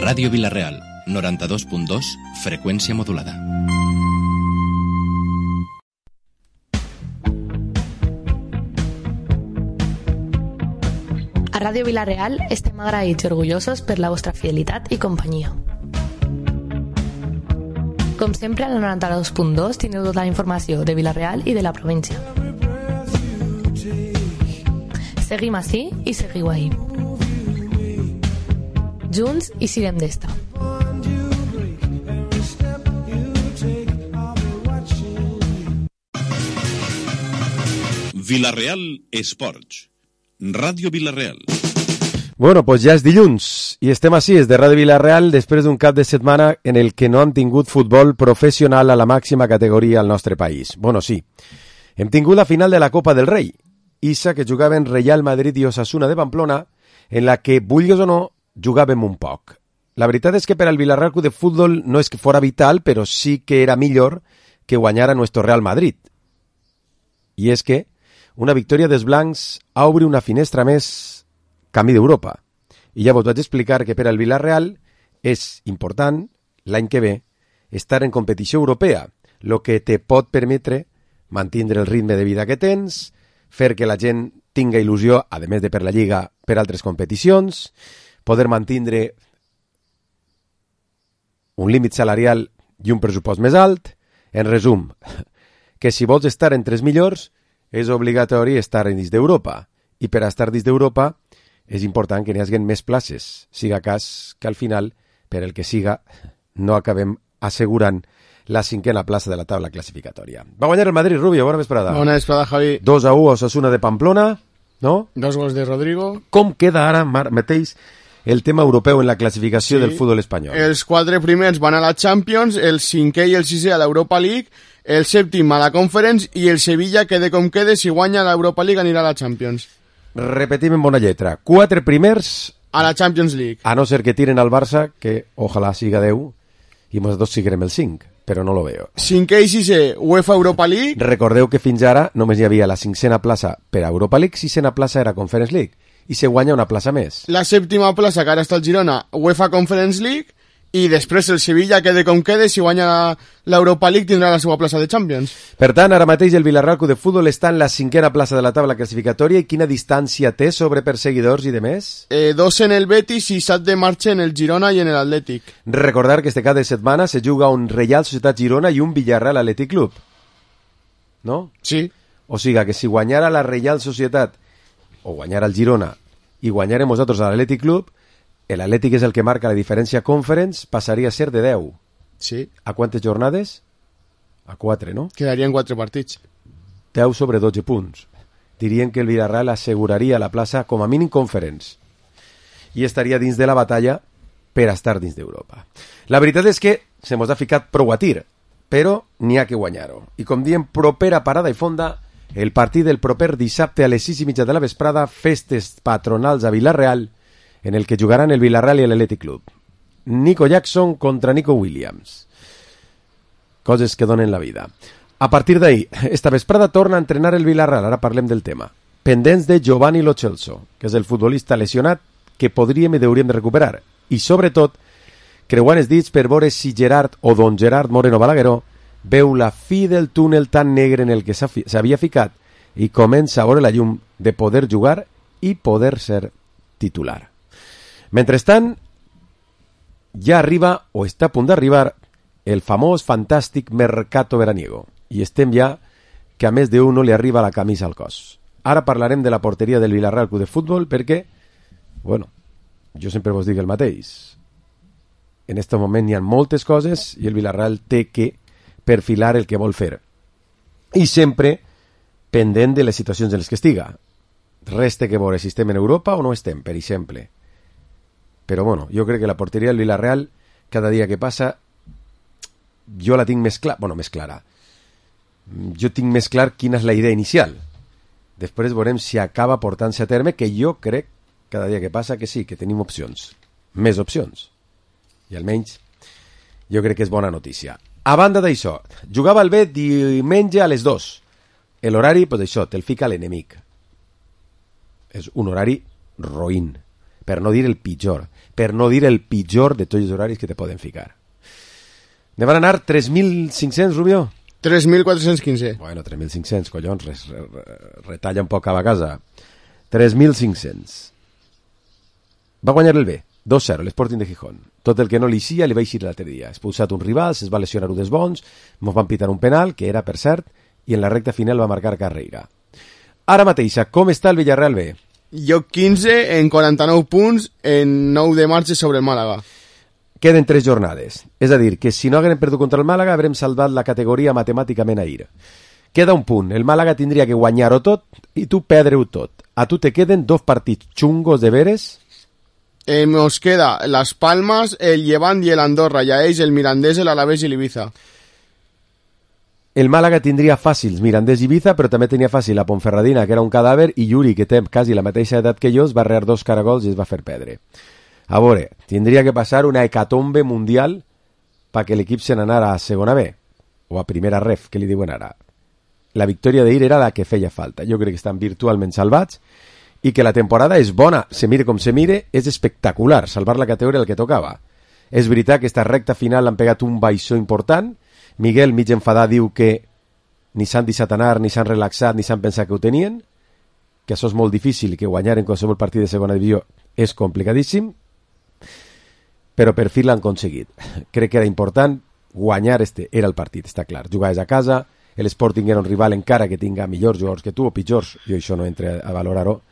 Ràdio Vila-real, 92.2, freqüència modulada. A Ràdio Vila-real estem agraïts i orgullosos per la vostra fidelitat i companyia. Com sempre, al 92.2 teniu tota la informació de Vila-real i de la província. Seguim ací i seguiu ahí. Junts i sirem d'esta. Vila-real Esports. Ràdio Vila-real. Bueno, pues ja és dilluns i estem així, des de Ràdio Vila-real, després d'un cap de setmana en el que no han tingut futbol professional a la màxima categoria al nostre país. Bueno, sí, hem tingut la final de la Copa del Rei, Issa que jugaven Real Madrid i Osasuna de Pamplona, en la que, vulguis o no, jugàvem un poc. La veritat és que per al Vila-real Club de Futbol no és que fora vital, però sí que era millor que guanyara nuestro Real Madrid. I és que una victòria dels blancs obre una finestra més camí d'Europa. I ja vos vaig explicar que per al Vila-real és important, l'any que ve, estar en competició europea, lo que te pot permetre mantindre el ritme de vida que tens, fer que la gent tinga il·lusió, a més de per la Lliga, per altres competicions, poder mantindre un límit salarial i un pressupost més alt. En resum, que si vols estar entre els millors, és obligatori estar dins d'Europa. I per estar dins d'Europa és important que n'hi hagi més places. Siga cas que al final, per el que siga, no acabem assegurant la cinquena plaça de la taula classificatòria. Va guanyar el Madrid, Rubio, bona vesprada. Bona vesprada, Javi. 2-1 Osasuna de Pamplona, no? 2 gols de Rodrigo. Com queda ara mateix el tema europeu en la classificació del futbol espanyol? Els 4 primers van a la Champions, el 5è i el 6è a l'Europa League, el 7è a la Conference i el Sevilla, quede com quede, si guanya l'Europa League anirà a la Champions. Repetim en bona lletra. 4 primers a la Champions League. A no ser que tiren al Barça, que ojalà siga 10, i nosaltres siguem el 5, però no lo veo. 5è i 6è, UEFA Europa League. Recordeu que fins ara només hi havia la 5a plaça per a Europa League, 6a plaça era Conference League, i se guanya una plaça més. La 7a plaça, que ara està el Girona, UEFA Conference League, i després el Sevilla, quede com quede, si guanya l'Europa League tindrà la seva plaça de Champions. Per tant, ara mateix el Vila-real Club de Futbol està en la 5a plaça de la taula classificatòria, i quina distància té sobre perseguidors i de més? 2 en el Betis i 7 de marxa en el Girona i en l'Atlètic. Recordar que este cap de setmana se juga un Reial Societat Girona i un Villarreal Atlètic Club. No? Sí. O sigui que si guanyara la Reial Societat o guanyara el Girona i guanyarem nosaltres a l'Atlètic Club, l'Atlètic és el que marca la diferència Conference, passaria a ser de 10. Sí. A quantes jornades? A 4, no? Quedarien 4 partits. 10 sobre 12 punts. Dirien que el Villarreal asseguraria la plaça com a mínim Conference i estaria dins de la batalla per estar dins d'Europa. La veritat és que se mos ha ficat prou a tir, però n'hi ha que guanyar-ho. I com diem, propera parada i fonda, el partit del proper dissabte a les 6:30 de la vesprada, festes patronals a Vila-real, en el que jugaran el Villarreal i l'Atlètic Club. Nico Jackson contra Nico Williams. Coses que donen la vida. A partir d'ahí, esta vesprada torna a entrenar el Villarreal, ara parlem del tema. Pendents de Giovanni Lo Celso, que és el futbolista lesionat que podríem i hauríem de recuperar. I sobretot, creuant els dits per veure si Gerard o don Gerard Moreno Balagueró veu la fi del túnel tan negre en el que s'havia ficat i comença a veure la llum de poder jugar i poder ser titular. Mentrestant, ja arriba o està a punt d'arribar el famós fantàstic mercato veraniego i estem ja que a més d'uno li arriba la camisa al cos. Ara parlarem de la porteria del Vila-real Club de Futbol perquè, bueno, jo sempre vos dic el mateix. En aquest moment hi ha moltes coses i el Vila-real té que perfilar el que vol fer. I sempre pendent de les situacions en les que estiga. Res té que veure si estem en Europa o no estem, per exemple. Però bueno, jo crec que la porteria del Vila-real, cada dia que passa, jo la tinc més clara. Bueno, més clara. Jo tinc més clar quina és la idea inicial. Després veurem si acaba portant-se a terme, que jo crec, cada dia que passa, que sí, que tenim opcions. Més opcions. I almenys, jo crec que és bona notícia. A banda d'això, jugava el B diumenge a les 2. L'horari, pues això, te'l fica l'enemic. És un horari roïn. per no dir el pitjor, de tots els horaris que te poden ficar. Ne van anar 3.500, Rubio? 3.415. Bueno, 3.500, collons, retalla un poc cada casa. 3.500. Va guanyar el B, 2-0, l'Sporting de Gijón. Tot el que no li sia li va eixir l'altre dia. Expulsat un rival, es va lesionar un dels bons, mos van pitar un penal, que era, per cert, i en la recta final va marcar Carreira. Ara mateixa, com està el Villarreal B? Lloc 15 en 49 punts en 9 de marxa sobre el Màlaga. Queden 3 jornades. És a dir, que si no haguem perdut contra el Màlaga haurem salvat la categoria matemàticament ahir. Queda un punt. El Màlaga tindria que guanyar-ho tot i tu perdre-ho tot. A tu te queden 2 partits xungos de veres. Nos queda Las Palmas, el Llevant i el Andorra, i a ells el Mirandés, l'Alavés i l'Ibiza. El Màlaga tindria fàcils Mirandés i Ibiza, però també tenia fàcil la Ponferradina, que era un cadàver, i Yuri, que té quasi la mateixa edat que jo, es va rear 2 caragols i es va fer perdre. A veure, tindria que passar una hecatombe mundial perquè l'equip se n'anara a segona B, o a primera ref, que li diuen ara. La victòria d'ahir era la que feia falta. Jo crec que estan virtualment salvats i que la temporada és bona, se mire com se mire, és espectacular, salvar la categoria el que tocava. És veritat que esta recta final han pegat un baixó important. Miguel, mig enfadat, diu que ni s'han deixat anar, ni s'han relaxat, ni s'han pensat que ho tenien, que això és molt difícil i que guanyar en qualsevol partit de segona divisió és complicadíssim, però per fi l'han aconseguit. Crec que era important guanyar era el partit, està clar. Jugaves a casa, l'Sporting era un rival encara que tinga millors jugadors que tu o pitjors, jo això no entre a valorar-ho.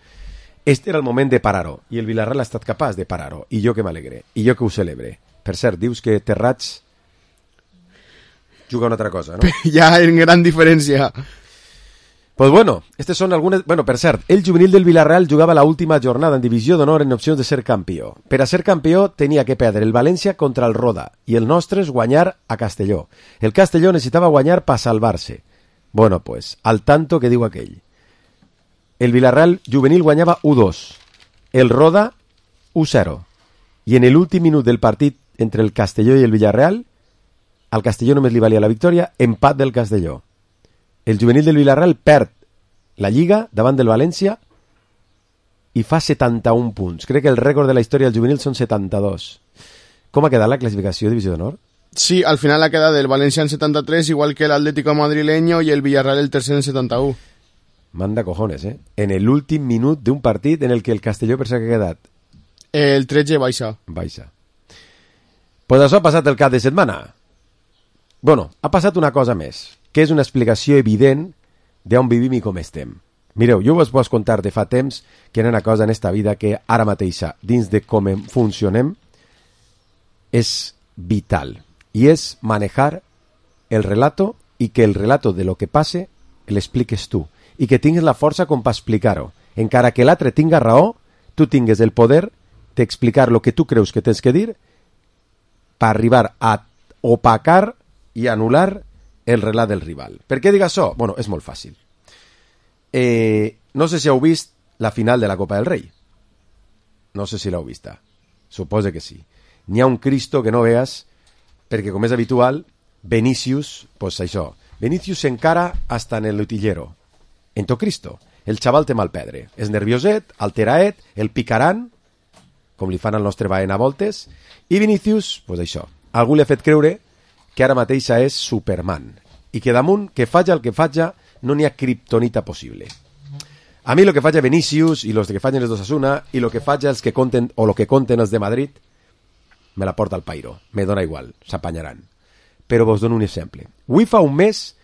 Este era el moment de parar-ho, i el Villarreal ha estat capaç de parar-ho, i jo que m'alegre, i jo que ho celebre. Per cert, dius que Terrats juga una altra cosa, no? Ja en gran diferència. Pues bueno, estes són algunes... Bueno, per cert, el juvenil del Villarreal jugava la última jornada en divisió d'honor en opcions de ser campió. Per a ser campió tenia que perdre el València contra el Roda i el nostre és guanyar a Castelló. El Castelló necessitava guanyar per salvar-se. Bueno, pues, al tanto que diu aquell. El Villarreal juvenil guanyava 1-2, el Roda 1-0, i en l'últim minut del partit entre el Castelló i el Villarreal, al Castelló només li valia la victòria, empat del Castelló. El juvenil del Villarreal perd la Lliga davant del València i fa 71 punts. Crec que el rècord de la història del juvenil són 72. Com ha quedat la classificació de divisió d'honor? Sí, al final ha quedat el València en 73, igual que el Atlético madrileño i el Villarreal el tercer en 71. Manda cojones, eh? En l'últim minut d'un partit en el que el Castelló per què ha quedat? El 13 baixa. Baixa. Pues això ha passat el cap de setmana. Bueno, ha passat una cosa més, que és una explicació evident d'on vivim i com estem. Mireu, jo us pots contar de fa temps que hi ha una cosa en esta vida que ara mateixa, dins de com funcionem, és vital. I és manejar el relato i que el relato de lo que passe l'expliques tu. I que tingues la força com per explicar-ho. Encara que l'altre tinga raó, tu tingues el poder d'explicar el que tu creus que tens que dir per arribar a opacar i anul·lar el relat del rival. Per què dic això? Bueno, és molt fàcil. No sé si heu vist la final de la Copa del Rei. No sé si l'heu vista. Suposo que sí. N'hi ha un Cristo que no veas, perquè com és habitual, Vinícius, pues això, Vinícius s'encara hasta en el utillero. En to Cristo. El xaval té mal pedre. És nervioset, alteraet, el picaran, com li fan al nostre Baena a voltes, i Vinícius, pues això, algú li ha fet creure que ara mateixa és Superman, i que damunt, que faja el que faja, no n'hi ha kriptonita possible. A mi lo que faja Vinícius, i los que fagen els d'Osasuna, i lo que faja els que conten, o lo que conten els de Madrid, me la porta al pairo, me dona igual, s'apanyaran. Però vos dono un exemple. Avui fa un mes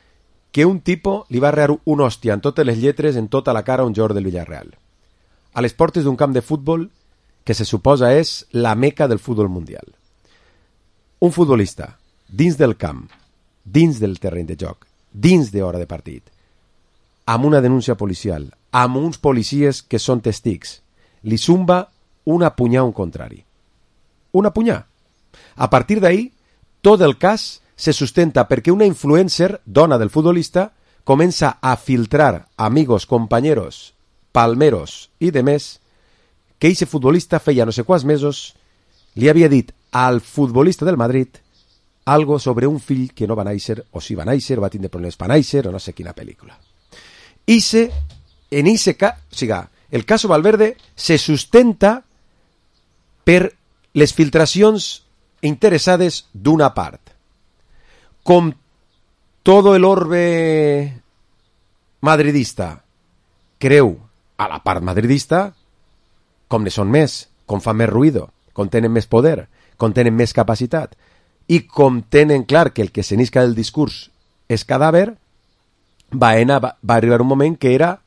que un tipo li va rear un hòstia en totes les lletres, en tota la cara, a un jugador del Villarreal. A les portes d'un camp de futbol que se suposa és la meca del futbol mundial. Un futbolista, dins del camp, dins del terreny de joc, dins d'hora de partit, amb una denúncia policial, amb uns policies que són testics, li zumba una punyà a un contrari. Una punyà. A partir d'ahí, tot el cas se sustenta perquè una influencer, dona del futbolista, comença a filtrar amigos, compañeros, palmeros i demés que eixe futbolista feia no sé quants mesos li havia dit al futbolista del Madrid algo sobre un fill que no va néixer, o si va néixer, o va tindre problemes per néixer, o no sé quina pel·lícula. El caso Valverde se sustenta per les filtracions interessades d'una part. Com todo el orbe madridista creu a la part madridista, com ne són més, com fan més ruïdo, com tenen més poder, com tenen més capacitat, i com tenen clar que el que s'enisca del discurs és cadàver, Baena va arribar un moment que era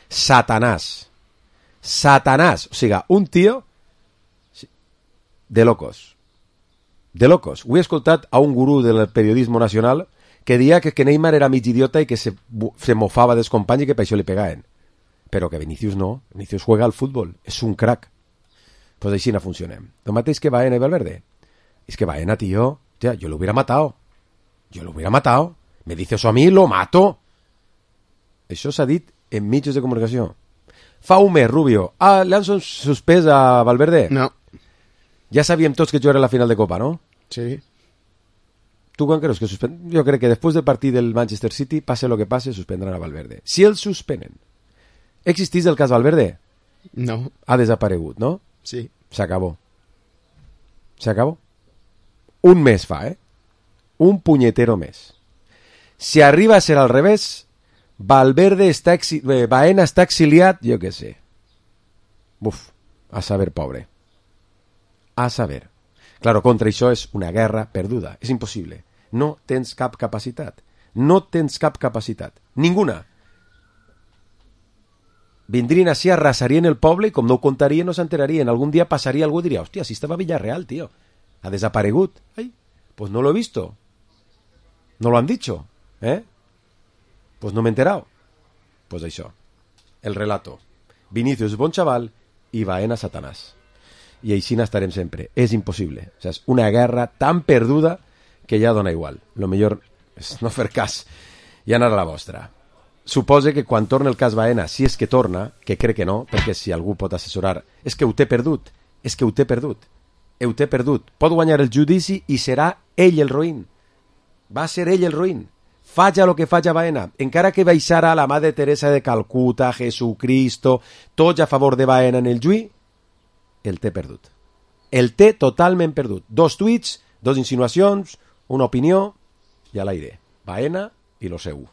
Satanàs. Satanàs. O sigui, un tio de locos. De locos. Ho he escoltat a un gurú del periodisme nacional que deia que Neymar era mig idiota i que se mofava dels companys i que per això li pegaven. Però que Vinicius no. Vinicius juega al futbol. És un crack. Pues així no funcionem. Lo mateix que Baena i Valverde. Es que Baena, tío, yo lo hubiera matado. Yo lo hubiera matado. Me dice eso a mí, lo mato. Això s'ha dit en mitjans de comunicació. Fa un mes, Rubio. ¿Le han suspès a Valverde? No. Ja sabíem tots que jugarà la final de Copa, ¿no? Sí. ¿Tú quan creus que suspenden? Jo crec que després del partit del Manchester City, pase lo que pase, suspendran a Valverde. Si el suspenen. ¿Existís el cas Valverde? No. Ha desaparegut, ¿no? Sí. S'acabó. S'acabó. Un mes fa, Un punyetero mes. Si arriba a ser al revés, Valverde Baena està exiliat, jo què sé. Buf, a saber, pobre. A saber. Claro, contra això és una guerra perduda. És impossible. No tens cap capacitat. No tens cap capacitat. Ninguna. Vindrien així, arrasarien el poble i com no ho contarien, no s'enterarien. Algun dia passaria algú i diria, hòstia, si estava a Villarreal, tío. Ha desaparegut. Ai, pues no lo he visto. No lo han dicho. Pues no me he enterado. Pues això. El relato. Vinicius bon chaval i Baena Satanàs. I així n'estarem sempre. És impossible. O sigui, és una guerra tan perduda que ja dona igual. Lo millor és no fer cas i anar a la vostra. Supose que quan torna el cas Baena, si és que torna, que crec que no, perquè si algú pot assessorar, és que ho té perdut. És que ho té perdut. Ho té perdut. Pot guanyar el judici i serà ell el roïn. Va ser ell el roïn. Faja lo que faja Baena. Encara que baixara la Madre Teresa de Calcuta, Jesucristo, tots a favor de Baena en el juí, el té perdut. El té totalment perdut. 2 tuits, 2 insinuacions, una opinió i a l'aire. Baena i lo seu.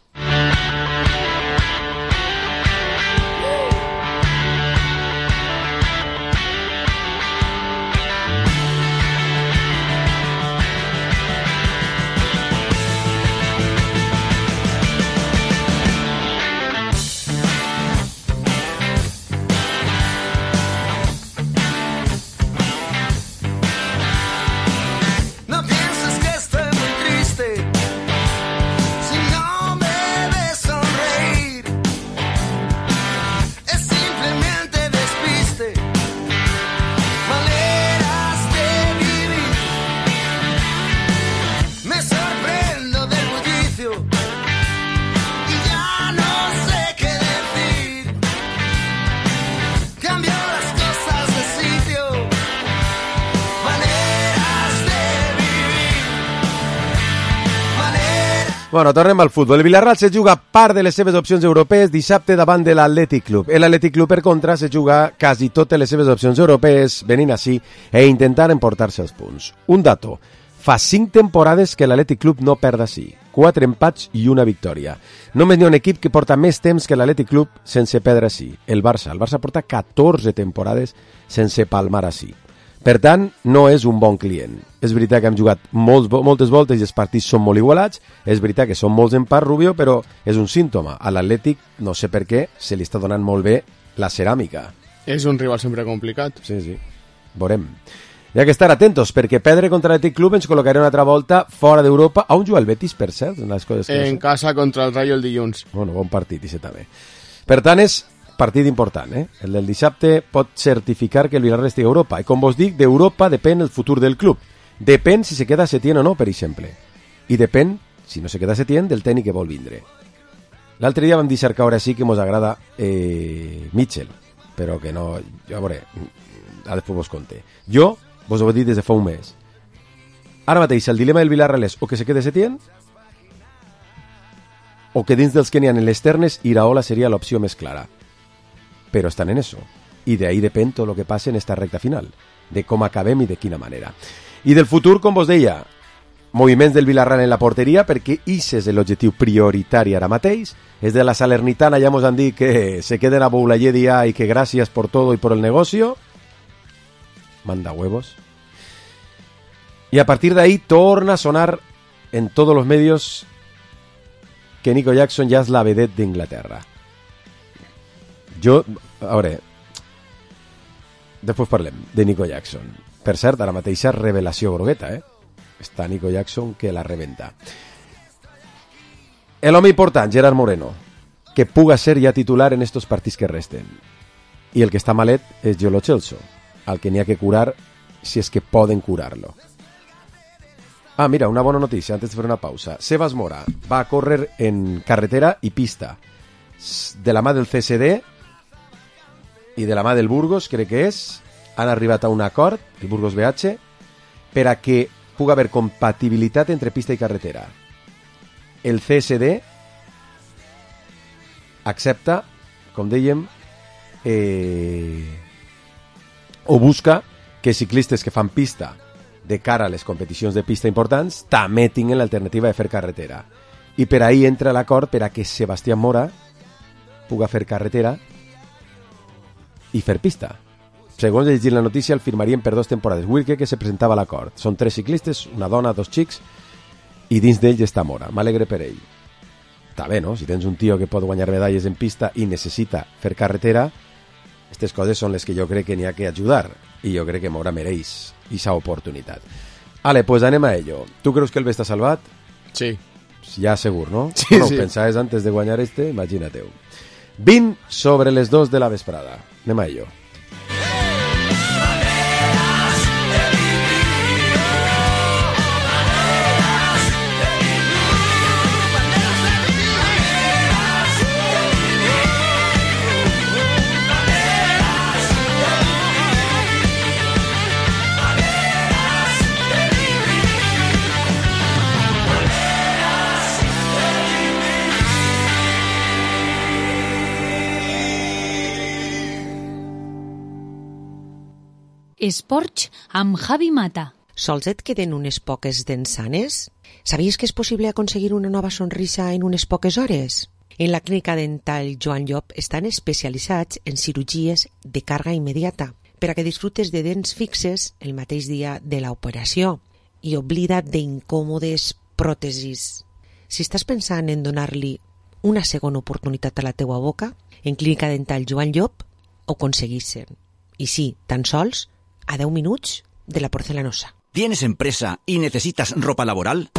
Bueno, tornem al futbol. El Villarreal se juga part de les seves opcions europees dissabte davant de l'Atlètic Club. L'Atlètic Club, per contra, se juga quasi totes les seves opcions europees venint així e intentant emportar-se els punts. Un dato. Fa 5 temporades que l'Atlètic Club no perd així. 4 empats i una victòria. Només n'hi ha un equip que porta més temps que l'Atlètic Club sense perdre així. El Barça. El Barça porta 14 temporades sense palmar així. Per tant, no és un bon client. És veritat que hem jugat moltes voltes i els partits són molt igualats. És veritat que són molts empats, Rubio, però és un símptoma. A l'Atlètic, no sé per què, se li està donant molt bé la ceràmica. És un rival sempre complicat. Sí, sí. Veurem. Hi ha que estar atentos, perquè perdre contra l'Atlètic Club ens col·locarà una altra volta fora d'Europa. On juga el Betis, per cert? Les coses que en casa contra el Rayo el dilluns. Bueno, bon partit, i també. Per tant, és partit important, El del dissabte pot certificar que el Villarreal estigui a Europa. I com vos dic, d'Europa depèn el futur del club. Depèn si se queda Setién o no, per exemple. I depèn, si no se queda Setién, del tècnic que vol vindre. L'altre dia vam dir cercar ara sí que mos agrada Mitchell, però que no... Jo, a veure, després vos conté. Jo vos ho he dit des de fa un mes. Ara mateix, el dilema del Villarreal és o que se quede Setién o que dins dels que n'hi ha en les ternes Iraola seria l'opció més clara. Pero están en eso. Y de ahí depende todo lo que pase en esta recta final. de com acabem i de quina manera. I del futur, com vos deia, moviments del Villarreal en la porteria, perquè ix és l'objectiu prioritari ara mateix. És de la Salernitana, ja mos han dit que se queden a Boulayedia i que gràcies por todo y por el negocio. Manda huevos. Y a partir de ahí torna a sonar en todos los medios que Nico Jackson ja és la vedette d'Inglaterra. A veure, després parlem de Nico Jackson. Per cert, ara mateixa revelació grogueta, Està Nico Jackson que la rebenta. El home important, Gerard Moreno, que puga ser ja titular en estos partits que resten. I el que està malet és Joe Lo Celso, al que n'hi ha que curar si és que poden curar-lo. Ah, mira, una bona notícia antes de fer una pausa. Sebas Mora va a córrer en carretera i pista de la mà del CSD i de la mà del Burgos, crec que és. Han arribat a un acord, el Burgos BH, per a que puga haver compatibilitat entre pista i carretera. El CSD accepta, com dèiem, o busca que ciclistes que fan pista de cara a les competicions de pista importants també tinguin l'alternativa de fer carretera. I per ahí entra l'acord per a que Sebastián Mora puga fer carretera i fer pista. Segons he llegit la notícia, el firmarien per 2 temporades. Wilke, que se presentava a l'acord. Són 3 ciclistes, una dona, 2 xics, i dins d'ells està Mora. M'alegre per ell. Està bé, no? Si tens un tio que pot guanyar medalles en pista i necessita fer carretera, aquestes coses són les que jo crec que n'hi ha que ajudar, i jo crec que Mora mereix aquesta oportunitat. Ale, pues anem a ello. Tu creus que el bé està salvat? Sí. Ja segur, no? Sí, bueno, sí. Pensaves antes de guanyar imagina-teu. 20 sobre les 2 de la vesprada. Anem a ello. Esports amb Javi Mata. Sols et queden unes poques dents sanes? Sabies que és possible aconseguir una nova sonrisa en unes poques hores? En la clínica dental Joan Llop estan especialitzats en cirurgies de càrrega immediata per a que disfrutes de dents fixes el mateix dia de l'operació i oblida't d'incòmodes pròtesis. Si estàs pensant en donar-li una segona oportunitat a la teua boca, en clínica dental Joan Llop ho aconseguissin. I sí, tan sols a 10 minutos de la porcelanosa. ¿Tienes empresa y necesitas ropa laboral?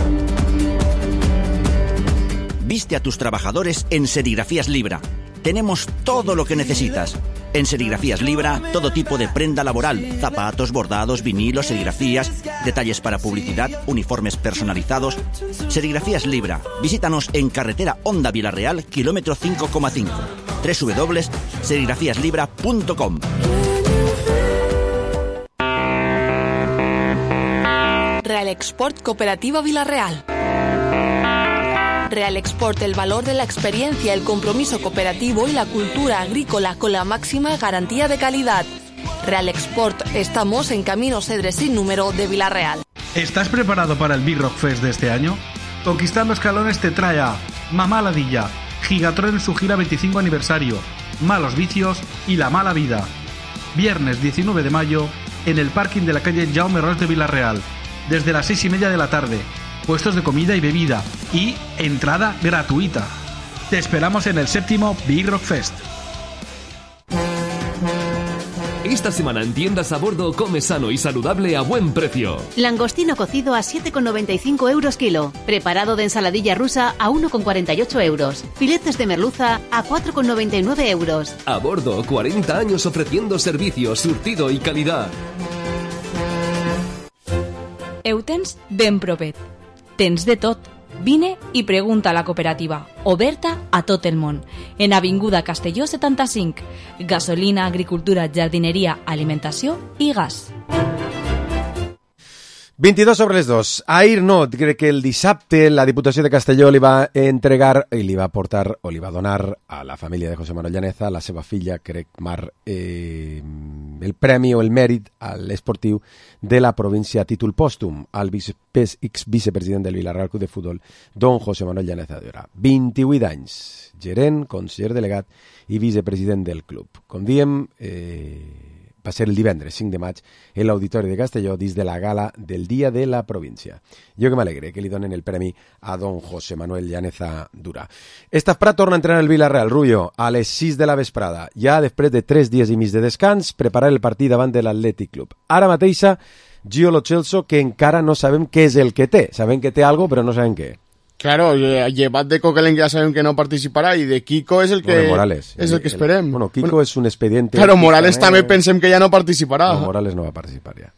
Viste a tus trabajadores en Serigrafías Libra. Tenemos todo lo que necesitas. En Serigrafías Libra, todo tipo de prenda laboral, zapatos, bordados, vinilos, serigrafías, detalles para publicidad, uniformes personalizados. Serigrafías Libra. Visítanos en carretera Honda Villarreal, kilómetro 5,5. www.serigrafíaslibra.com. Real Export Cooperativa Villarreal. Real Export, el valor de la experiencia, el compromiso cooperativo y la cultura agrícola con la máxima garantía de calidad. Real Export, estamos en Camino Cedres sin número de Villarreal. ¿Estás preparado para el Big Rock Fest de este año? Conquistando Escalones te trae a Mamá Ladilla, Gigatron en su gira 25 aniversario, Malos Vicios y La Mala Vida. Viernes 19 de mayo en el parking de la calle Jaume Ros de Villarreal, desde las 6:30 de la tarde. Puestos de comida y bebida y entrada gratuita. Te esperamos en el 7º Big Rock Fest. Esta semana en Tiendas a Bordo come sano y saludable a buen precio. Langostino cocido a 7,95 euros kilo. Preparado de ensaladilla rusa a 1,48 euros. Filetes de merluza a 4,99 euros. A Bordo, 40 años ofreciendo servicio, surtido y calidad. Eutens ben propet. Tens de tot. Vine i pregunta a la cooperativa, oberta a tot el món. En Avinguda Castelló 75. Gasolina, agricultura, jardineria, alimentació i gas. 22 sobre les 2. Ahir no, crec que el dissabte la Diputació de Castelló li va entregar i li va portar o li va donar a la família de José Manuel Llaneza, la seva filla, crec, Mar el premi o el mèrit a l'esportiu de la província a títol pòstum al exvicepresident del Villarreal Club de Futbol, don José Manuel Llaneza Dura. 28 anys, gerent, conseller delegat i vicepresident del club. Com diem, va ser el divendres 5 de maig en l'Auditori de Castelló dins de la gala del Dia de la Província. Jo que m'alegre que li donen el premi a don José Manuel Llaneza Dura. Estaf Prat torna a entrenar el Villarreal, Rullo, a les 6 de la vesprada. Ja després de 3 dies i mig de descans, preparar el partit davant de l'Atlètic Club. Ara mateixa, Gio Lo Celso, que encara no sabem què és el que té. Sabem que té algo, però no sabem què. Claro, llevat de Coquelin ya saben que no participarà i de Kiko és el que Morales, és el que esperem. Bueno, Kiko és un expediente. Claro, Morales també pensem que ja no participarà. No, Morales no va participar ja.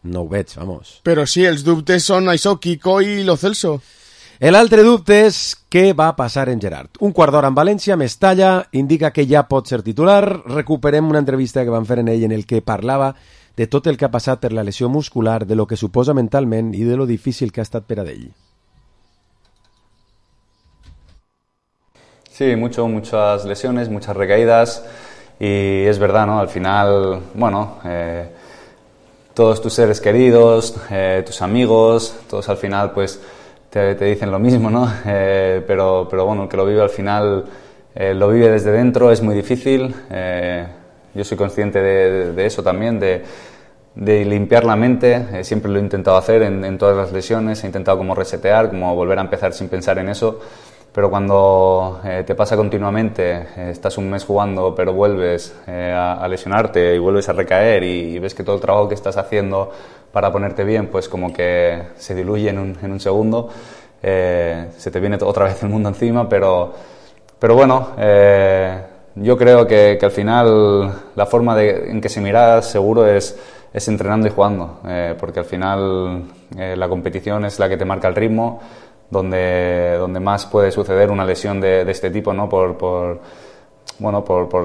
No ho veig, vamos. Però sí, els dubtes són això, Kiko i Lo Celso. L'altre dubte és què va passar en Gerard. Un quart d'hora en València, Mestalla, indica que ja pot ser titular. Recuperem una entrevista que van fer en ell en el que parlava de tot el que ha passat per la lesió muscular, de lo que suposa mentalment i de lo difícil que ha estat per a ell. Sí, muchas lesiones, muchas recaídas y es verdad, ¿no? Al final, bueno, todos tus seres queridos, tus amigos, todos al final pues te dicen lo mismo, ¿no? Pero bueno, el que lo vive al final lo vive desde dentro, es muy difícil. Yo soy consciente de eso también, de limpiar la mente. Siempre lo he intentado hacer en todas las lesiones, he intentado como resetear, como volver a empezar sin pensar en eso. Pero cuando te pasa continuamente, estás un mes jugando pero vuelves a lesionarte y vuelves a recaer y ves que todo el trabajo que estás haciendo para ponerte bien pues como que se diluye en un segundo, se te viene otra vez el mundo encima, pero bueno, yo creo que al final la forma en que se mira seguro es entrenando y jugando, porque al final la competición es la que te marca el ritmo, donde más puede suceder una lesión de este tipo, ¿no? Por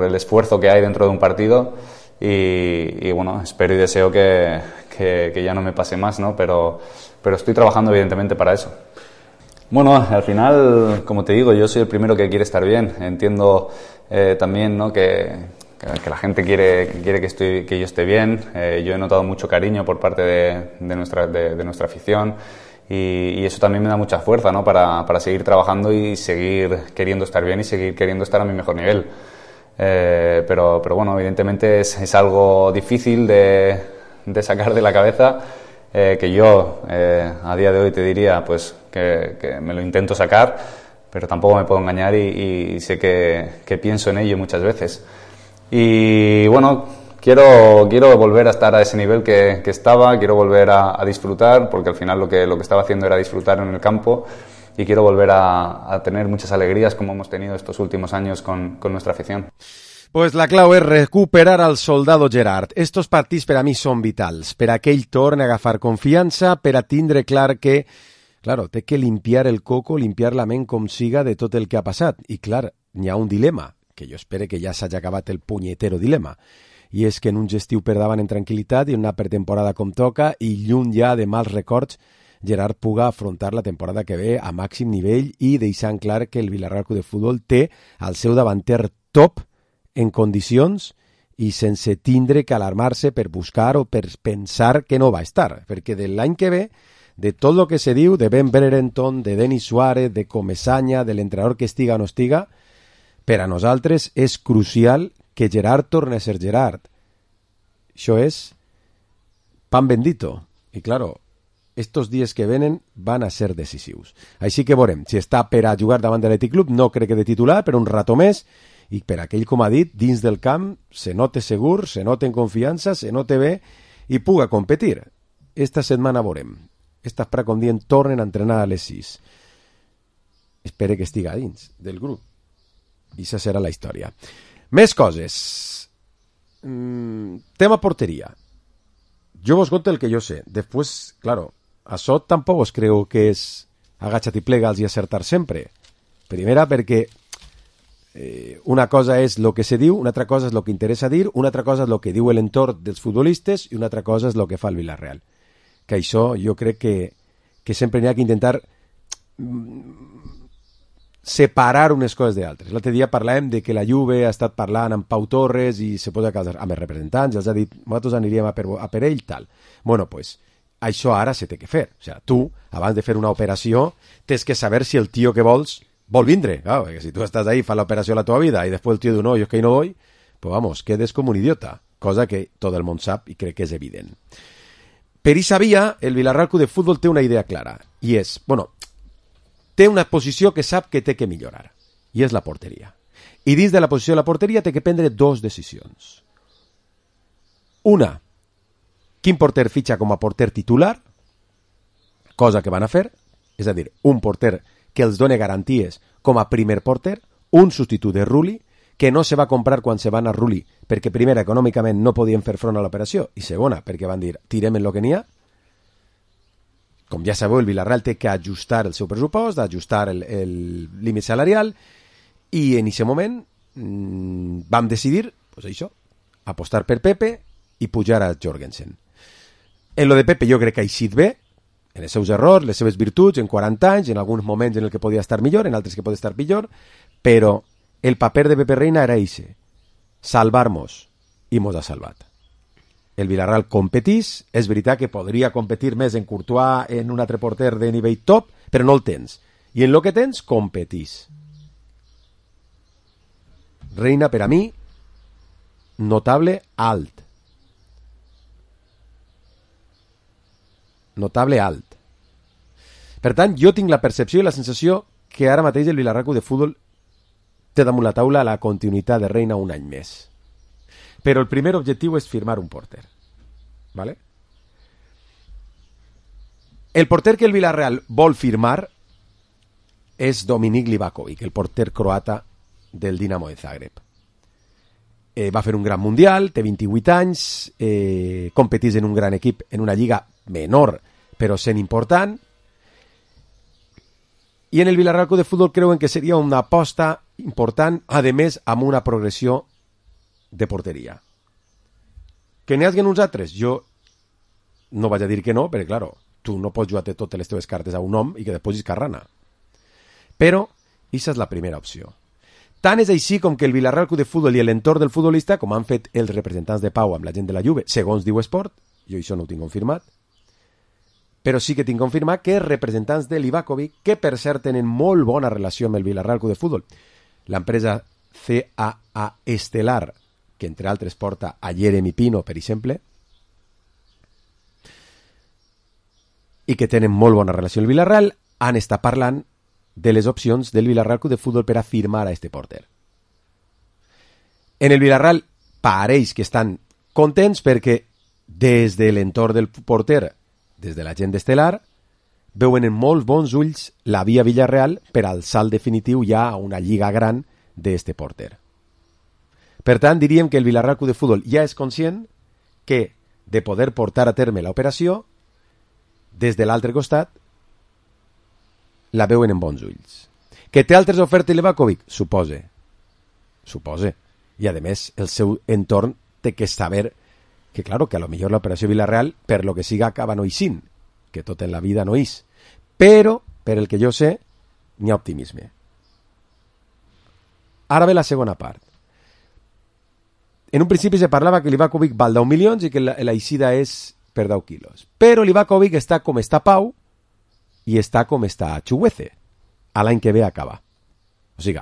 el esfuerzo que hay dentro de un partido y bueno, espero y deseo que ya no me pase más, ¿no? Pero estoy trabajando evidentemente para eso. Bueno, al final, como te digo, yo soy el primero que quiere estar bien. Entiendo también, ¿no? que la gente quiere que yo esté bien. Yo he notado mucho cariño por parte de nuestra afición. Y eso también me da mucha fuerza, ¿no? para seguir trabajando y seguir queriendo estar bien y seguir queriendo estar a mi mejor nivel. Pero bueno, evidentemente es algo difícil de sacar de la cabeza, que yo a día de hoy te diría pues que me lo intento sacar, pero tampoco me puedo engañar y sé que pienso en ello muchas veces. Y bueno, quiero volver a estar a ese nivel que estaba, quiero volver a disfrutar, porque al final lo que estaba haciendo era disfrutar en el campo y quiero volver a tener muchas alegrías como hemos tenido estos últimos años con nuestra afición. Pues la clau és recuperar al soldado Gerard. Estos partits per a mi són vitals, per a que ell torni a agafar confiança, per a tindre clar que, claro, té que limpiar el coco, limpiar la ment com siga de tot el que ha passat. I clar, n'hi ha un dilema, que jo espero que ja s'hagi acabat el punyetero dilema. I és que en un gestiu per davant en tranquil·litat i en una pretemporada com toca i lluny ja de mals records, Gerard puga afrontar la temporada que ve a màxim nivell i deixant clar que el Villarreal Club de Futbol té al seu davanter top en condicions i sense tindre que alarmar-se per buscar o per pensar que no va estar, perquè de l'any que ve, de tot el que se diu, de Ben Brereton, de Denis Suárez, de Comesaña, de l'entrenador que estiga o no estiga, per a nosaltres és crucial que Gerard torni a ser Gerard. Això és pan bendito. I, claro, estos dies que venen van a ser decisius. Així que veurem si està per a jugar davant de l'Atlètic Club, no crec que de titular, per un rato més, i per aquell, com ha dit, dins del camp se note segur, se note en confiança, se note bé i puga competir. Esta setmana veurem. Estas Prat, com dient, tornen a entrenar a les 6. Espere que estiga dins del grup. I això serà la història. Més coses. Tema porteria. Jo vos conto el que jo sé. Després, claro, això tampoc os creu que és agacha't i plega'ls i acertar sempre. Primera, perquè una cosa és el que se diu, una altra cosa és el que interessa dir, una altra cosa és el que diu l'entorn dels futbolistes i una altra cosa és el que fa el Villarreal. Que això jo crec que sempre n'hi ha que intentar separar unes coses d'altres. L'altre dia parlàvem de que la Juve ha estat parlant amb Pau Torres i se posa a casar amb els representants, els ha dit, nosaltres aniríem a per ell, tal. Bueno, pues, això ara se té que fer. O sigui, tu, abans de fer una operació, tens que saber si el tio que vols vol vindre. Claro, perquè si tu estàs ahí, fas l'operació la teva vida i després el tio diu, no, jo és que no voy, pues vamos, quedes com un idiota. Cosa que tot el món sap i crec que és evident. Per aquesta via, el Villarreal Club de Futbol té una idea clara. I és, bueno, té una posició que sap que té que millorar. I és la porteria. I dins de la posició de la porteria té que prendre dos decisions. Una, quin porter fitxa com a porter titular, cosa que van a fer, és a dir, un porter que els doni garanties com a primer porter, un substitut de Rulli, que no se va comprar quan se va anar Rulli, perquè primera, econòmicament no podien fer front a l'operació, i segona, perquè van dir, tirem en lo que n'hi ha. Com ja sabeu, el Villarreal té que ajustar el seu pressupost, ajustar el límit salarial, i en aquest moment vam decidir, pues això, apostar per Pepe i pujar a Jorgensen. En lo de Pepe jo crec que ha eixit bé, en els seus errors, les seves virtuts, en 40 anys, en alguns moments en el que podia estar millor, en altres que podia estar pitjor, però el paper de Pepe Reina era eixe, salvar-nos, i mos ha salvat. El Villarreal competís, és veritat que podria competir més en Courtois, en un altre porter de nivell top, però no el tens. I en lo que tens, competís. Reina, per a mi, notable alt. Notable alt. Per tant, jo tinc la percepció i la sensació que ara mateix el Villarreal Club de Futbol té damunt la taula la continuïtat de Reina un any més. Però el primer objectiu és firmar un porter. ¿Vale? El porter que el Villarreal vol firmar és Dominik Livakovic, el porter croata del Dinamo de Zagreb. Va fer un gran mundial, té 28 anys, competís en un gran equip, en una lliga menor, però sent important. I en el Villarreal Club de Futbol creuen que seria una aposta important, a més, amb una progressió de porteria. Que n'hi hagi uns altres? Jo no vaig a dir que no, perquè, clar, tu no pots jugar totes les teves cartes a un home i que després és carrana. Però, aquesta és la primera opció. Tant és així com que el Villarreal Club de Futbol i l'entorn del futbolista, com han fet els representants de Pau amb la gent de la Juve, segons diu Esport, jo això no ho tinc confirmat, però sí que tinc confirmat que els representants de Livakovic, que per cert tenen molt bona relació amb el Villarreal Club de Futbol, l'empresa CAA Estelar, que entre altres porta a Jeremy Pino, per exemple, i que tenen molt bona relació amb el Villarreal, han estat parlant de les opcions del Villarreal Club de Futbol per a firmar a este porter. En el Villarreal pareix que estan contents perquè des de l'entorn del porter, des de la gent d'Estelar, veuen en molts bons ulls la via Villarreal per al salt definitiu ja a una lliga gran d'este porter. Per tant, diríem que el Villarreal Club de Futbol ja és conscient que de poder portar a terme l'operació, des de l'altre costat, la veuen en bons ulls. Que té altres ofertes Livakovic? Supose. I, a més, el seu entorn té que saber que, claro, que a lo millor l'operació Villarreal, per lo que siga, acaba no eixint, que tot en la vida no eix. Però, per el que jo sé, n'hi ha optimisme. Ara ve la segona part. En un principi se parlava que Livakovic val 10 milions i que l'eixida és per 10 quilos. Però Livakovic està com està Pau i està com està Chukwueze. A l'any que ve acaba. O sigui,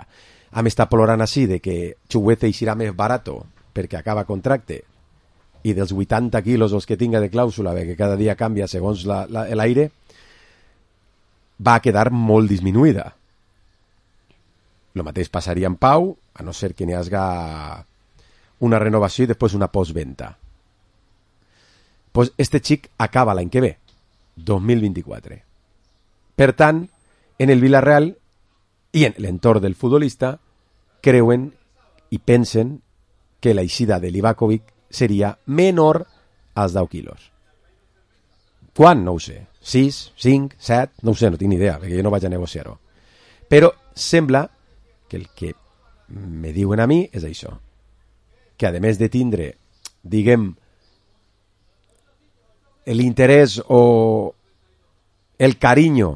hem estat plorant així de que Chukwueze eixirà més barato perquè acaba contracte i dels 80 quilos els que tinga de clàusula, que cada dia canvia segons l'aire, va quedar molt disminuïda. El mateix passaria amb Pau, a no ser que n'hi hagi una renovació i després una postventa. Pues este xic acaba l'any que ve, 2024. Per tant, en el Villarreal i en l'entorn del futbolista creuen i pensen que l'eixida de Livakovic seria menor als 10 quilos. Quan? No ho sé. 6, 5, 7, no ho sé, no tinc ni idea, perquè jo no vaig a negociar-ho. Però sembla que el que me diuen a mi és això, que a més de tindre, diguem, l'interès o el carinyo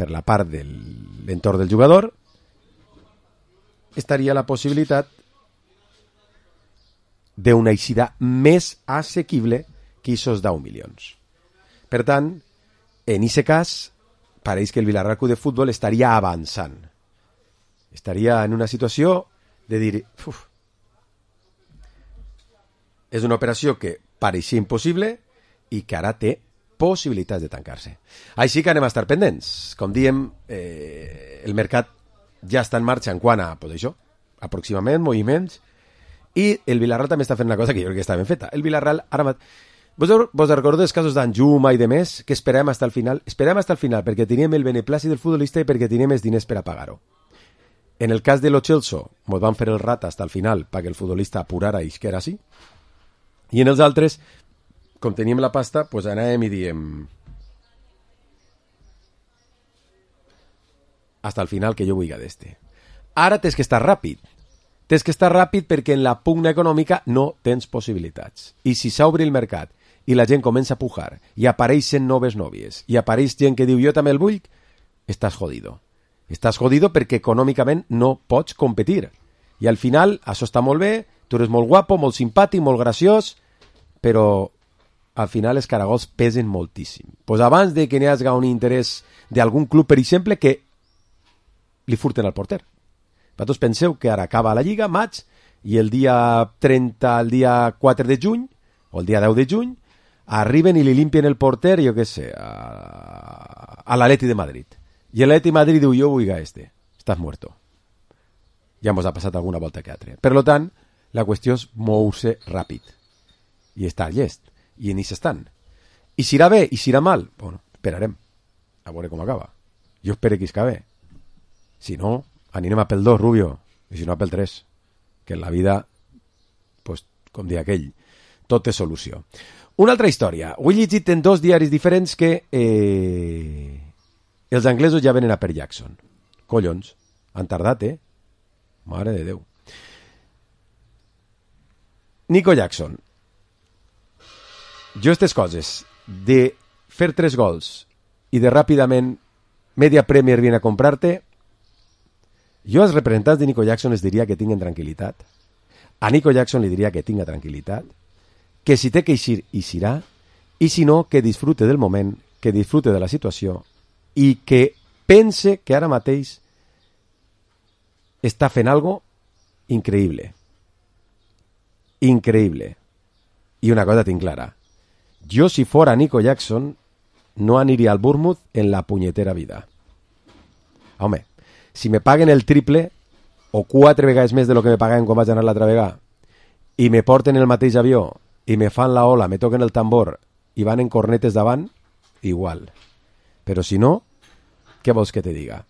per la part de l'entorn del jugador, estaria la possibilitat d'una eixida més assequible que aquests 10 milions. Per tant, en aquest cas, pareix que el Villarreal Club de Futbol estaria avançant. Estaria en una situació de dir, és una operació que pareixia impossible i que ara té possibilitats de tancar-se. Així que anem a estar pendents. Com diem, el mercat ja està en marxa en quant a, pues això, aproximament, moviments, i el Villarreal també està fent una cosa que jo crec que està ben feta. El Villarreal, ara vos recordeu els casos d'Anjuma i de més, que esperem hasta el final? Esperem hasta el final perquè teníem el beneplàcit del futbolista i perquè teníem els diners per a pagar-ho. En el cas de Lo Celso, ens van fer el rat hasta el final perquè el futbolista apurara i que era així. I en els altres, com teníem la pasta, pues anàvem i diem hasta el final que jo vull d'este. Ara tens que estar ràpid. Tens que estar ràpid perquè en la pugna econòmica no tens possibilitats. I si s'obre el mercat i la gent comença a pujar i apareixen noves nòvies i apareix gent que diu jo també el vull, estàs jodido. Estàs jodido perquè econòmicament no pots competir. I al final, això està molt bé, tu eres molt guapo, molt simpàtic, molt graciós, però al final els caragols pesen moltíssim. Pues abans de que n'hi hagi un interès d'algun club, per exemple, que li furten al porter. Vosaltres penseu que ara acaba la Lliga, maig, i el dia 30, el dia 4 de juny, o el dia 10 de juny, arriben i li limpien el porter, jo què sé, a l'Atleti de Madrid. I l'Atleti de Madrid diu, jo vull a este. Estàs muerto. Ja ens ha passat alguna volta que altre. Per tant, la qüestió és moure-se ràpid. I estar llest. I en això estan. I si irà bé, i si irà mal, bueno, esperarem. A veure com acaba. Jo espero que isca bé. Si no, anirem a pel 2, Rubio. I si no, a pel 3. Que en la vida, pues, com dia aquell, tot és solució. Una altra història. Ho he llegit en 2 diaris diferents que els anglesos ja venen a per Jackson. Collons, han tardat, Mare de Déu. Nico Jackson. Jo aquestes coses de fer 3 gols i de ràpidament Media Premier viene a comprar-te, jo als representants de Nico Jackson les diria que tinguen tranquil·litat. A Nico Jackson li diria que tinga tranquil·litat, que si té que eixir, eixirà, i si no, que disfrute del moment, que disfrute de la situació i que pense que ara mateix està fent algo increïble. Increïble. I una cosa tinc clara. Jo, si fora Nico Jackson, no aniria al Bournemouth en la punyetera vida. Home, si me paguen el triple o 4 vegades més de lo que me pagaven quan vaig anar l'altra vegada i me porten el mateix avió i me fan la ola, me toquen el tambor i van en cornetes davant, igual. Però si no, què vols que te diga?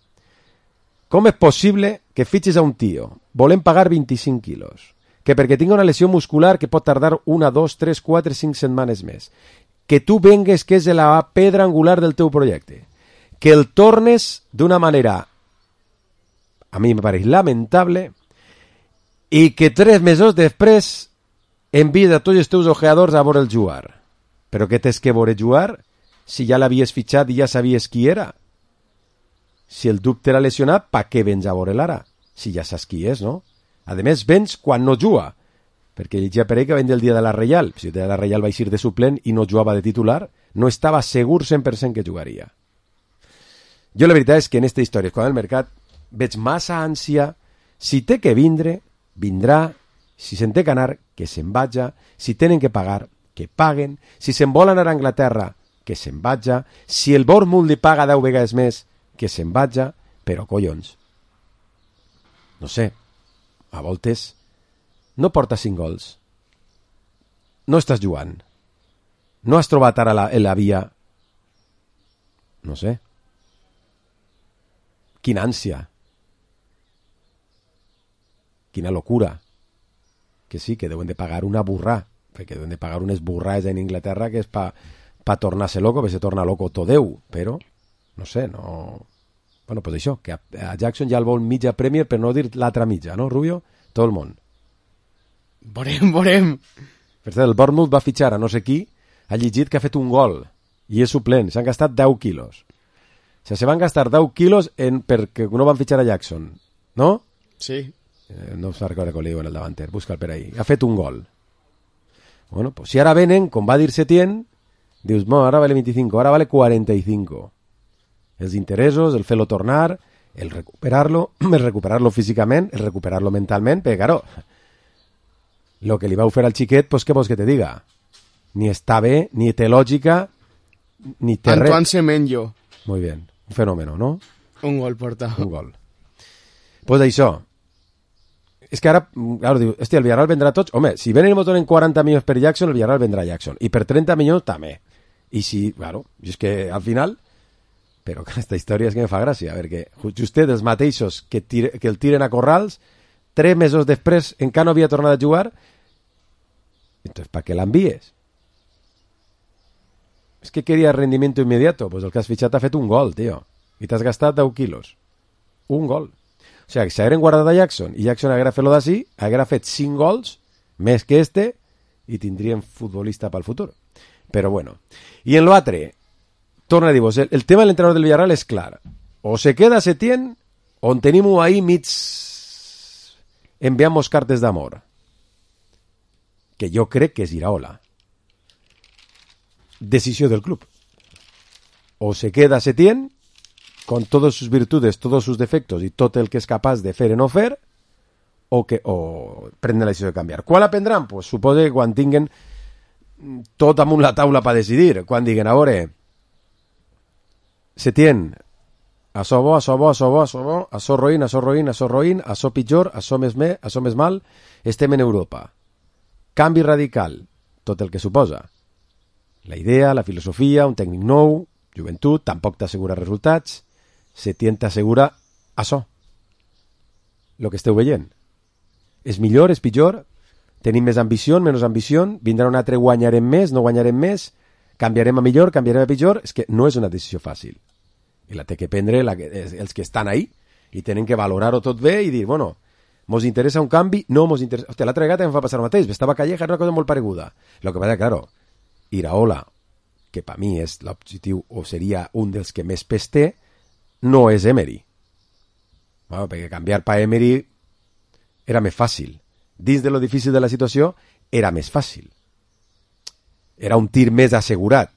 Com és possible que fitxis a un tio, volem pagar 25 quilos, que perquè tinga una lesió muscular que pot tardar 1, 2, 3, 4, 5 setmanes més, que tu vengues que és la pedra angular del teu projecte, que el tornes d'una manera, a mi me pareix lamentable, i que 3 mesos després envies a tots els teus ojeadors a veure el jugar. Però què tens que veure jugar si ja l'havies fitxat i ja sabies qui era? Si el dubte era lesionat, pa què vens a veure l'ara? Si ja saps qui és, no? A més, vens quan no juga. Perquè llegia per ell que ven del dia de la Reial. Si el dia de la Reial va eixir de suplent i no jugava de titular, no estava segur 100% que jugaria. Jo la veritat és que en aquesta història, quan el mercat veig massa ànsia, si té que vindre, vindrà, si se'n té que anar, que se'n vaja, si tenen que pagar, que paguen, si se'n vol anar a Anglaterra, que se'n vaja, si el Bournemouth li paga 10 vegades més, que se'n vaja, però collons. No sé, a voltes no porta 5 gols. No estàs jugant. No has trobat ara la via. No sé. Quina ànsia. Quina locura. Que sí, que deuen de pagar una burrà, perquè deuen de pagar unes burrades en Inglaterra que és pa tornar-se loco, perquè se torna loco tot Déu, però, no sé, no... Bueno, pues això, que a Jackson ja el vol mitja Premier, per no dir l'altra mitja, no, Rubio? Tot el món. Veurem. Per cert, el Bournemouth va fitxar a no sé qui, ha llegit que ha fet un gol, i és suplent, s'han gastat 10 quilos. O sea, se van gastar 10 quilos perquè no van fitxar a Jackson, no? Sí. No us recordo com li diuen el davanter, busca'l per ahí. Ha fet un gol. Bueno, pues si ara venen, com va dir Setién, dius, no, ara vale 25, ara vale 45. Els interessos, el fer-lo tornar, el recuperar-lo físicament, el recuperar-lo mentalment, perquè, claro, lo que li vau fer al xiquet, pues què vols que te diga? Ni està bé, ni té lògica, ni té res. Antoine Semenyo. Muy bien, un fenómeno, ¿no? Un gol porta. Un gol. Pues això. És que ara, claro, diu, hòstia, el Villarreal vendrà tots. Home, si venen i m'ho donen 40 milions per Jackson, el Villarreal vendrà Jackson. I per 30 milions també. I si, claro, és que al final... Però aquesta història és que me fa gràcia, perquè justet els mateixos que el tiren a Corrals, 3 mesos després encara no havia tornat a jugar, entonces, ¿para qué l'envies? És que queria rendimiento inmediato, pues el que has fitxat ha fet un gol, tio, i t'has gastat 10 quilos. Un gol. O sigui, que si hagueren guardat a Jackson, i Jackson haguera fet-lo d'ací, haguera fet 5 gols, més que este, i tindríem futbolista pel futur. Però bueno. I en l'altre, torna a dir-vos, el tema de l'entrenador del Villarreal és clar. O se queda Setién, on tenim ahí mig enviamos cartes d'amor. Que jo crec que és Iraola. Decisió del club. O se queda Setién, con todas sus virtudes, todos sus defectos y todo el que es capaz de fer o no fer, o prendre la decisió de canviar. Quan la prendran? Pues suposo que quan tinguen tot amunt la taula per decidir. Quan diguen, a veure, Setién, açò bo, açò bo, açò bo, açò bo, açò roïn, açò roïn, açò roïn, açò pitjor, açò més mal, estem en Europa. Canvi radical, tot el que suposa. La idea, la filosofia, un tècnic nou, joventut, tampoc t'assegura resultats, Setién t'assegura açò. Lo que esteu veient. És millor, és pitjor? Tenim més ambició, menys ambició? Vindrà un altre, guanyarem més, no guanyarem més? Canviarem a millor, canviarem a pitjor? És que no és una decisió fàcil. I la té que prendre els que estan ahí i tenen que valorar-ho tot bé i dir, bueno, mos interessa un canvi? No mos interessa... Hòstia, l'altra vegada em fa passar el mateix. Estava Calleja, era una cosa molt pareguda. Lo que passa, claro, Iraola, que per mi és l'objectiu o seria un dels que més pes té, no és Emery. Bueno, perquè canviar per Emery era més fàcil. Dins de lo difícil de la situació, era més fàcil. Era un tir més assegurat.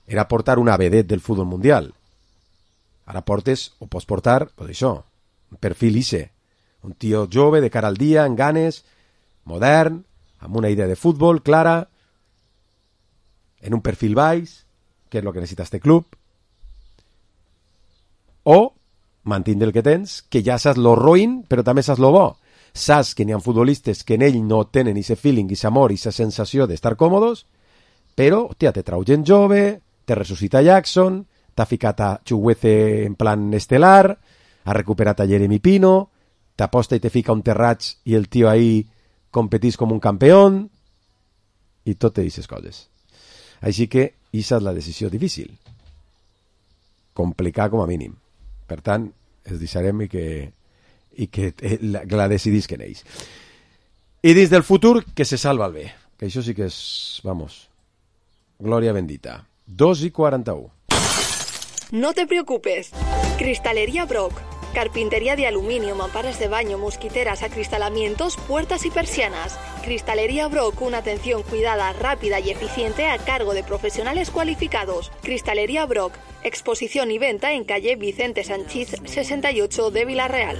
Era portar una vedet del futbol mundial. Ara portes, o pots portar, pues això, un perfil ICE. Un tio jove, de cara al dia, amb ganes, modern, amb una idea de futbol clara, en un perfil baix, que és el que necessita este club, o mantindre el que tens, que ja saps lo roïn, però també saps lo bo. Saps que n'hi ha futbolistes que en ell no tenen ese feeling, ese amor, esa sensació d'estar còmodes, però, hòstia, te trau gent jove, te ressuscita Jackson, t'ha ficat a Chuguece en plan estel·lar, ha recuperat a Jeremy Pino, t'aposta i te fica un Terrats i el tio ahí competís com un campió, i tot te dices coses. Així que, esa és la decisió difícil. Complicar com a mínim. Per tant, es deixarem i que la decidisquen ells. I dins del futur, que se salva el bé. Que això sí que és, vamos, glòria bendita. 2:41. No te preocupes. Cristalería Brock. Carpintería de aluminio, mamparas de baño, mosquiteras, acristalamientos, puertas y persianas. Cristalería Brock, una atención cuidada, rápida y eficiente a cargo de profesionales cualificados. Cristalería Brock, exposición y venta en calle Vicente Sanchís 68 de Villarreal.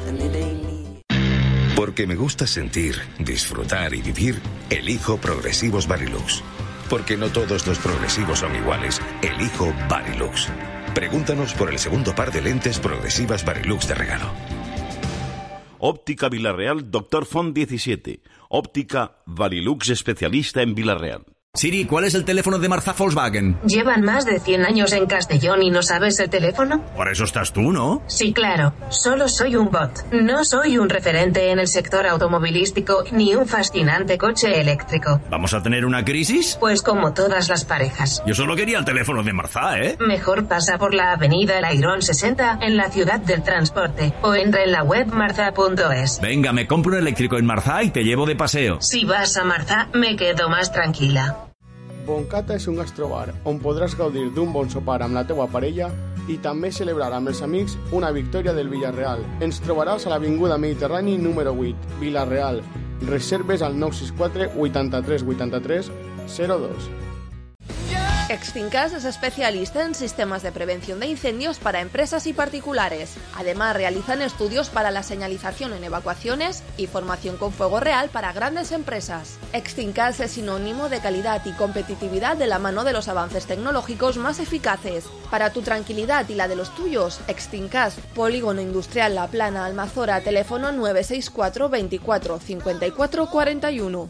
Porque me gusta sentir, disfrutar y vivir, elijo Progresivos Varilux. Porque no todos los progresivos son iguales, elijo Varilux. Pregúntanos por el segundo par de lentes progresivas Varilux de regalo. Óptica Villarreal, Dr. Font 17. Óptica Varilux, especialista en Villarreal. Siri, ¿cuál es el teléfono de Marzá Volkswagen? ¿Llevan más de 100 años en Castellón y no sabes el teléfono? Por eso estás tú, ¿no? Sí, claro. Solo soy un bot. No soy un referente en el sector automovilístico ni un fascinante coche eléctrico. ¿Vamos a tener una crisis? Pues como todas las parejas. Yo solo quería el teléfono de Marzá, ¿eh? Mejor pasa por la avenida El Airón 60 en la ciudad del transporte o entra en la web marza.es. Venga, me compro un eléctrico en Marzá y te llevo de paseo. Si vas a Marzá, me quedo más tranquila. Boncata és un gastrobar on podràs gaudir d'un bon sopar amb la teua parella i també celebrar amb els amics una victòria del Villarreal. Ens trobaràs a l'Avinguda Mediterrani número 8, Villarreal. Reserves al 964 83 83 02. Extincas es especialista en sistemas de prevención de incendios para empresas y particulares. Además, realizan estudios para la señalización en evacuaciones y formación con fuego real para grandes empresas. Extincas es sinónimo de calidad y competitividad de la mano de los avances tecnológicos más eficaces. Para tu tranquilidad y la de los tuyos, Extincas, Polígono Industrial La Plana, Almazora, teléfono 964 24 54 41.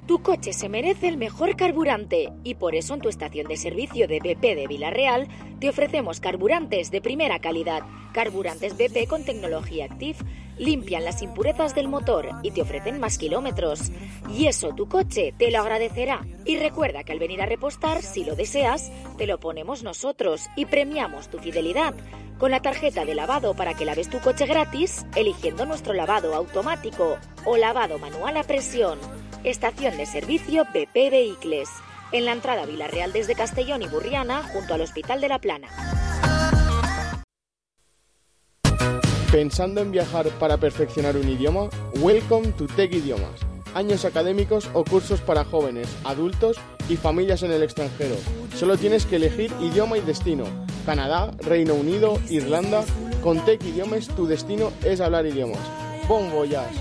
Tu coche se merece el mejor carburante y por eso en tu estación de servicio de BP de Vila-real te ofrecemos carburantes de primera calidad. Carburantes BP con tecnología Active limpian las impurezas del motor y te ofrecen más kilómetros. Y eso tu coche te lo agradecerá. Y recuerda que al venir a repostar, si lo deseas, te lo ponemos nosotros y premiamos tu fidelidad con la tarjeta de lavado para que laves tu coche gratis eligiendo nuestro lavado automático o lavado manual a presión. Estación de servicio BP Vehicles, en la entrada a Vila-real desde Castellón y Burriana, junto al Hospital de La Plana. ¿Pensando en viajar para perfeccionar un idioma? Welcome to Tech Idiomas. Años académicos o cursos para jóvenes, adultos y familias en el extranjero. Solo tienes que elegir idioma y destino. Canadá, Reino Unido, Irlanda. Con Tech Idiomas tu destino es hablar idiomas. Bon voyage.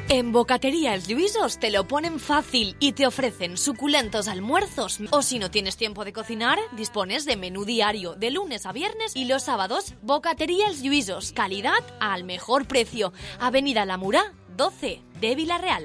En Bocatería Els Lluïsos te lo ponen fácil y te ofrecen suculentos almuerzos. O si no tienes tiempo de cocinar, dispones de menú diario de lunes a viernes y los sábados. Bocatería Els Lluïsos, calidad al mejor precio. Avenida La Murà, 12 de Vila-real.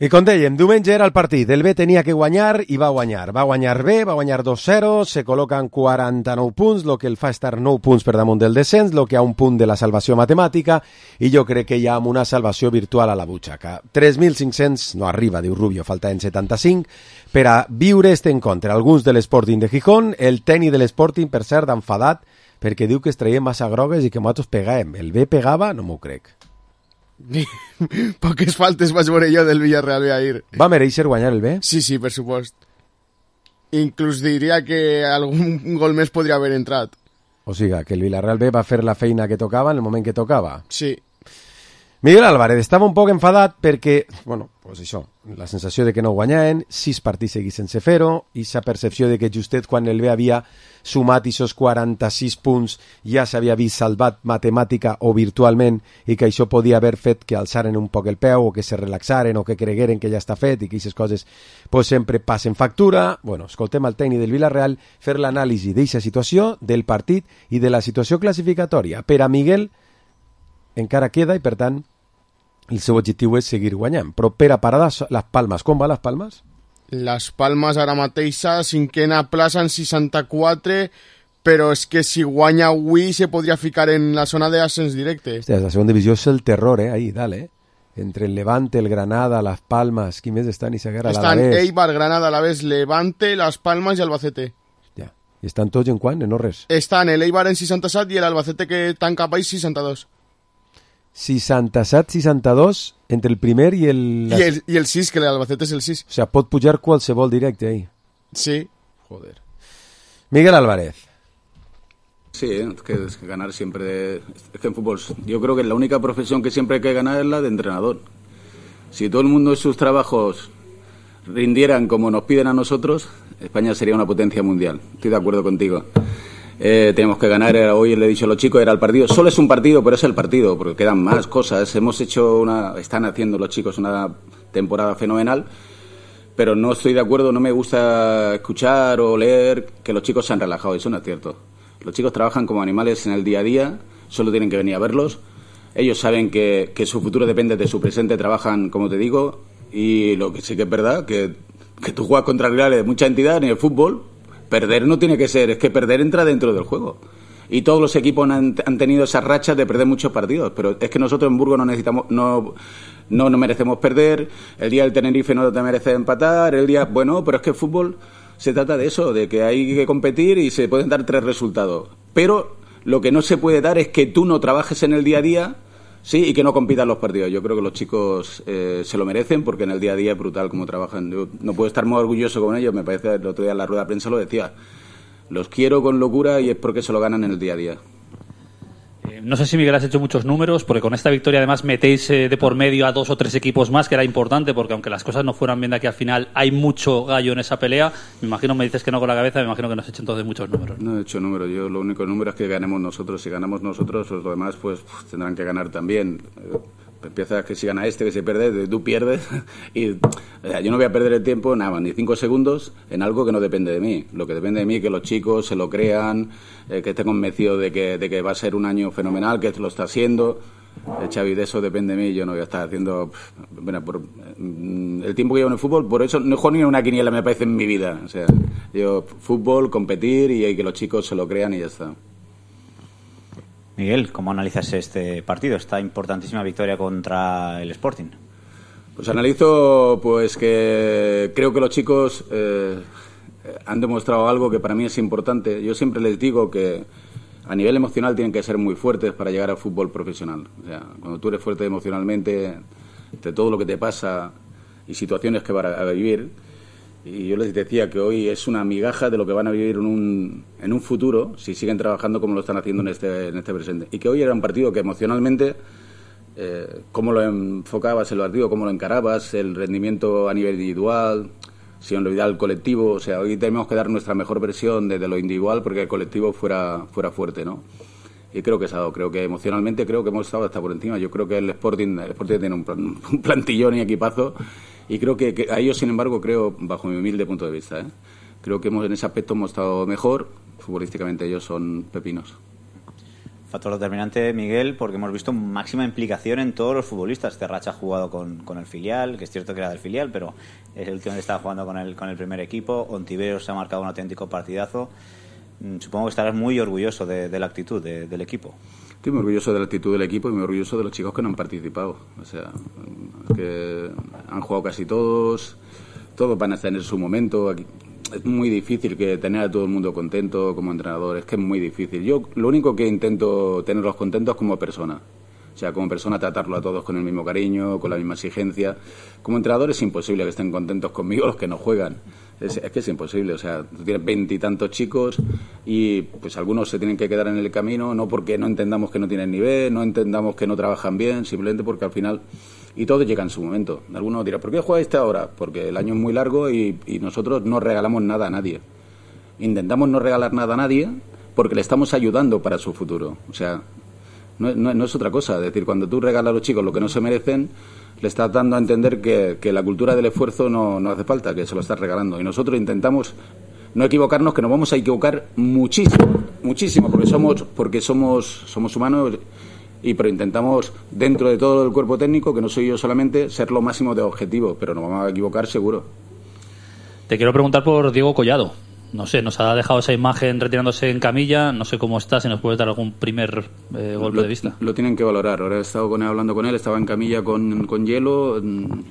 I com dèiem, diumenge era el partit. El B tenia que guanyar i va guanyar. Va guanyar B, va guanyar 2-0, se col·loquen 49 punts, el que el fa estar 9 punts per damunt del descens, el que ha un punt de la salvació matemàtica, i jo crec que hi ha una salvació virtual a la butxaca. 3.500 no arriba, diu Rubio, faltaven 75, per a viure este encontre. Alguns de l'Sporting de Gijón, el tècnic de l'Sporting, per cert, enfadat, perquè diu que es traiem massa grogues i que nosaltres pegàvem. El B pegava? No m'ho crec. Poques faltes vaig veure jo del Villarreal ahir. Va mereixer guanyar el B? Sí, per supost. Inclús diria que algun gol més podria haver entrat. O sigui, que el Villarreal B va fer la feina que tocava en el moment que tocava. Sí. Miguel Álvarez estava un poc enfadat perquè, bueno, pues això, la sensació de que no guanyaven, 6 partits seguits sense fer-ho, i la percepció de que justet quan el B havia sumat aquests 46 punts ja s'havia vist salvat matemàtica o virtualment i que això podia haver fet que alçaren un poc el peu o que se relaxaren o que cregueren que ja està fet i que aquestes coses pues, sempre passen factura. Bueno, escoltem al tècnic del Villarreal fer l'anàlisi d'aquesta situació, del partit i de la situació classificatòria. Per a Miguel encara queda i per tant el seu objectiu és seguir guanyant. Però per a parar les Palmes, com va les Palmes? Les Palmes ara mateixa, cinquena plaça en 64, però és que si guanya avui se podria ficar en la zona d'ascens directe. Hòstia, la segona divisió és el terror, ahí, dale. Entre el Levante, el Granada, les Palmes, qui més estan? Estan Eibar, Granada, Alavés, Levante, les Palmes i Albacete. Ja. I estan tots en quant? En res? Estan el Eibar en 67 i l'Albacete que tanca país 62. 67-62 entre el primer i el... I el 6, que l'Albacete és el 6. O sigui, pot pujar qualsevol directe ahí. Sí. Joder. Miguel Álvarez. Sí, es que ganar siempre... Es que en fútbol yo creo que la única profesión que siempre hay que ganar es la de entrenador. Si todo el mundo en sus trabajos rindieran como nos piden a nosotros, España sería una potencia mundial. Estoy de acuerdo contigo. Tenemos que ganar, hoy le he dicho a los chicos, era el partido, solo es un partido, pero es el partido, porque quedan más cosas, están haciendo los chicos una temporada fenomenal, pero no estoy de acuerdo, no me gusta escuchar o leer que los chicos se han relajado, eso no es cierto. Los chicos trabajan como animales en el día a día, solo tienen que venir a verlos, ellos saben que su futuro depende de su presente, trabajan, como te digo, y lo que sí que es verdad, que tú juegas contra rivales de mucha entidad en el fútbol. Perder no tiene que ser, es que perder entra dentro del juego. Y todos los equipos han tenido esas rachas de perder muchos partidos, pero es que nosotros en Burgos no merecemos perder, el día del Tenerife no te merece empatar, bueno, pero es que el fútbol se trata de eso, de que hay que competir y se pueden dar 3 resultados. Pero lo que no se puede dar es que tú no trabajes en el día a día Sí, y que no compitan los partidos. Yo creo que los chicos se lo merecen porque en el día a día es brutal cómo trabajan. Yo no puedo estar muy orgulloso con ellos, me parece, el otro día en la rueda de prensa lo decía. Los quiero con locura y es porque se lo ganan en el día a día. No sé si Miguel has hecho muchos números, porque con esta victoria además metéis de por medio a 2 o 3 equipos más, que era importante, porque aunque las cosas no fueran bien de aquí al final, hay mucho gallo en esa pelea. Me imagino, me dices que no con la cabeza, me imagino que no has hecho entonces muchos números. No he hecho números, yo lo único número es que ganemos nosotros. Si ganamos nosotros, los demás pues tendrán que ganar también. Empiezas que si gana este, que se pierde, tú pierdes. Y o sea, yo no voy a perder el tiempo, nada, ni 5 segundos en algo que no depende de mí. Lo que depende de mí es que los chicos se lo crean, que estén convencidos de que va a ser un año fenomenal, que lo está haciendo. Xavi, de eso depende de mí. Yo no voy a estar haciendo... Bueno, por el tiempo que llevo en el fútbol, por eso no juego ni una quiniela, me parece, en mi vida. O sea, yo fútbol, competir y que los chicos se lo crean y ya está. Miguel, ¿cómo analizas este partido, esta importantísima victoria contra el Sporting? Pues analizo pues que creo que los chicos han demostrado algo que para mí es importante. Yo siempre les digo que a nivel emocional tienen que ser muy fuertes para llegar al fútbol profesional. O sea, cuando tú eres fuerte emocionalmente, de todo lo que te pasa y situaciones que van a vivir, y yo les decía que hoy es una migaja de lo que van a vivir en un futuro si siguen trabajando como lo están haciendo en este presente. Y que hoy era un partido que emocionalmente, cómo lo enfocabas el partido, cómo lo encarabas, el rendimiento a nivel individual, sin olvidar el colectivo. O sea, hoy tenemos que dar nuestra mejor versión de lo individual porque el colectivo fuera fuerte, ¿no? Y creo que se ha dado. Creo que emocionalmente creo que hemos estado hasta por encima. Yo creo que el Sporting tiene un plantillón y equipazo. Y creo que a ellos, sin embargo, creo, bajo mi humilde punto de vista, creo que en ese aspecto hemos estado mejor. Futbolísticamente ellos son pepinos. Factor determinante, Miguel, porque hemos visto máxima implicación en todos los futbolistas. Terracha ha jugado con el filial, que es cierto que era del filial, pero es el último que estaba jugando con el primer equipo. Ontiveros se ha marcado un auténtico partidazo. Supongo que estarás muy orgulloso de la actitud del equipo. Estoy muy orgulloso de la actitud del equipo y muy orgulloso de los chicos que no han participado. O sea, que han jugado casi todos van a tener su momento. Aquí es muy difícil que tener a todo el mundo contento como entrenador, es que es muy difícil. Yo lo único que intento tenerlos contentos como persona. O sea, como persona tratarlo a todos con el mismo cariño, con la misma exigencia. Como entrenador es imposible que estén contentos conmigo los que no juegan. Es que es imposible, o sea, tú tienes 20 y tantos chicos y pues algunos se tienen que quedar en el camino, no porque no entendamos que no tienen nivel, no entendamos que no trabajan bien, simplemente porque al final, y todo llega en su momento. Algunos dirán, ¿por qué juega este ahora? Porque el año es muy largo y nosotros no regalamos nada a nadie. Intentamos no regalar nada a nadie porque le estamos ayudando para su futuro. O sea, no es otra cosa. Es decir, cuando tú regalas a los chicos lo que no se merecen, le estás dando a entender que la cultura del esfuerzo no hace falta, que se lo estás regalando. Y nosotros intentamos no equivocarnos, que nos vamos a equivocar muchísimo, porque somos humanos, pero intentamos, dentro de todo el cuerpo técnico, que no soy yo solamente, ser lo máximo de objetivo, pero nos vamos a equivocar seguro. Te quiero preguntar por Diego Collado. No sé, nos ha dejado esa imagen retirándose en camilla. No sé cómo está, si nos puedes dar algún primer golpe de vista. Lo tienen que valorar. Ahora he estado hablando con él, estaba en camilla con hielo.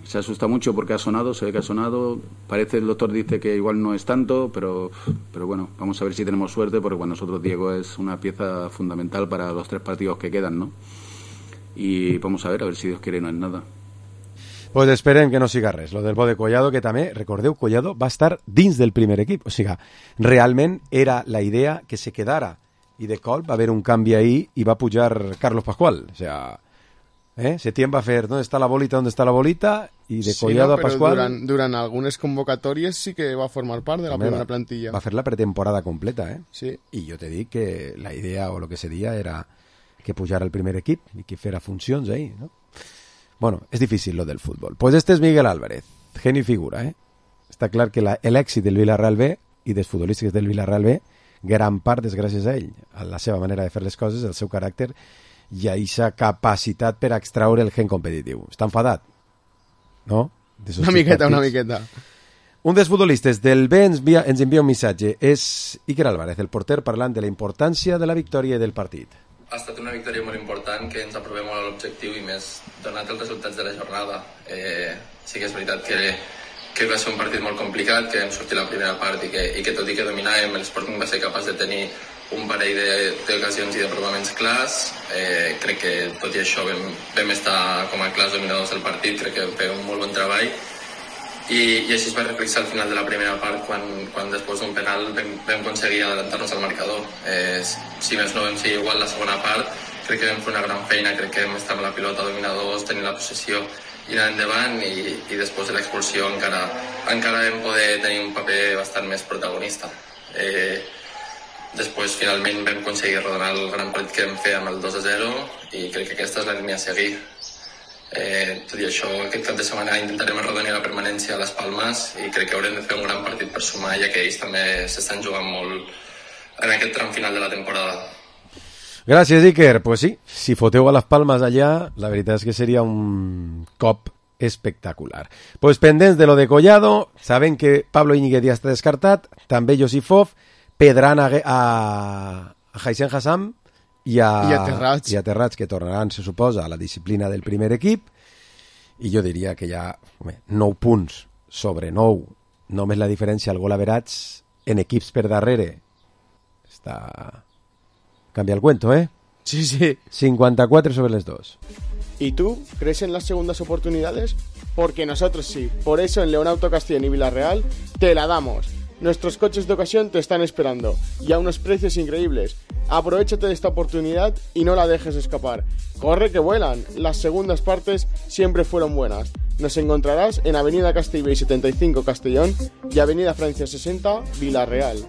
Se asusta mucho porque se ve que ha sonado. Parece, el doctor dice que igual no es tanto, pero bueno, vamos a ver si tenemos suerte, porque para nosotros Diego es una pieza fundamental para los 3 partidos que quedan, ¿no? Y vamos a ver si Dios quiere no es nada. Pues esperem que no siga res. Lo del bo de Collado, que també, recordeu, Collado va estar dins del primer equip. O sigui, realment era la idea que se quedara. I de cop va haver un canvi ahí i va pujar Carlos Pascual. O sea, Setién va fer ¿dónde está la bolita? I de Collado a Pascual... Durant algunes convocatòries sí que va formar part de la primera plantilla. Va fer la pretemporada completa, Sí. I jo te dic que la idea o lo que se dia era que pujara el primer equip i que fera funcions ahí, ¿no? Bueno, és difícil lo del futbol. Pues este és Miguel Álvarez, geni figura, Està clar que l'èxit del Villarreal B i dels futbolístics del Villarreal B, gran part és gràcies a ell, a la seva manera de fer les coses, el seu caràcter i a aquesta capacitat per extraure el gen competitiu. Està enfadat, no? Una miqueta. Un dels futbolistes del B ens envia un missatge. És Iker Álvarez, el porter, parlant de la importància de la victòria i del partit. Ha estat una victòria molt important, que ens aprovem molt a l'objectiu i més donat els resultats de la jornada. Sí que és veritat que va ser un partit molt complicat, que vam sortir la primera part i que tot i que dominàvem, el Sporting va ser capaç de tenir un parell d'ocasions i d'aprovaments clars. Crec que tot i això vam estar com a clars dominadors del partit, crec que vam fer un molt bon treball i així es va reflexar al final de la primera part quan després d'un penal vam aconseguir adelantar-nos al marcador. Si més no vam ser igual la segona part, crec que vam fer una gran feina, crec que vam estar amb la pilota dominadors, tenint la possessió i anar endavant i després de l'expulsió encara vam poder tenir un paper bastant més protagonista. Després finalment vam aconseguir redonar el gran partit que vam fer amb el 2-0 i crec que aquesta és la línia a seguir. Tot i això, aquest cap de setmana intentarem arrodonir la permanència a les Palmes i crec que haurem de fer un gran partit per sumar, ja que ells també s'estan jugant molt en aquest tram final de la temporada. Gràcies, Iker. Pues sí, si foteu a les Palmes allà, la veritat és que seria un cop espectacular. Pues pendents de lo de Collado, saben que Pablo Íñiguez ja està descartat, també Josifov, Pedran a Haisen Hassam i a Terrats, que tornaran, se suposa, a la disciplina del primer equip, i jo diria que hi ha 9 punts sobre 9, només la diferència al gol average en equips per darrere està... Cambia el cuento, ¿eh? Sí, sí. 54 sobre los 2. ¿Y tú crees en las segundas oportunidades? Porque nosotros sí. Por eso en León Auto Castellón y Villarreal te la damos. Nuestros coches de ocasión te están esperando y a unos precios increíbles. Aprovéchate de esta oportunidad y no la dejes escapar. Corre que vuelan. Las segundas partes siempre fueron buenas. Nos encontrarás en Avenida Castellbell 75 Castellón y Avenida Francia 60 Villarreal.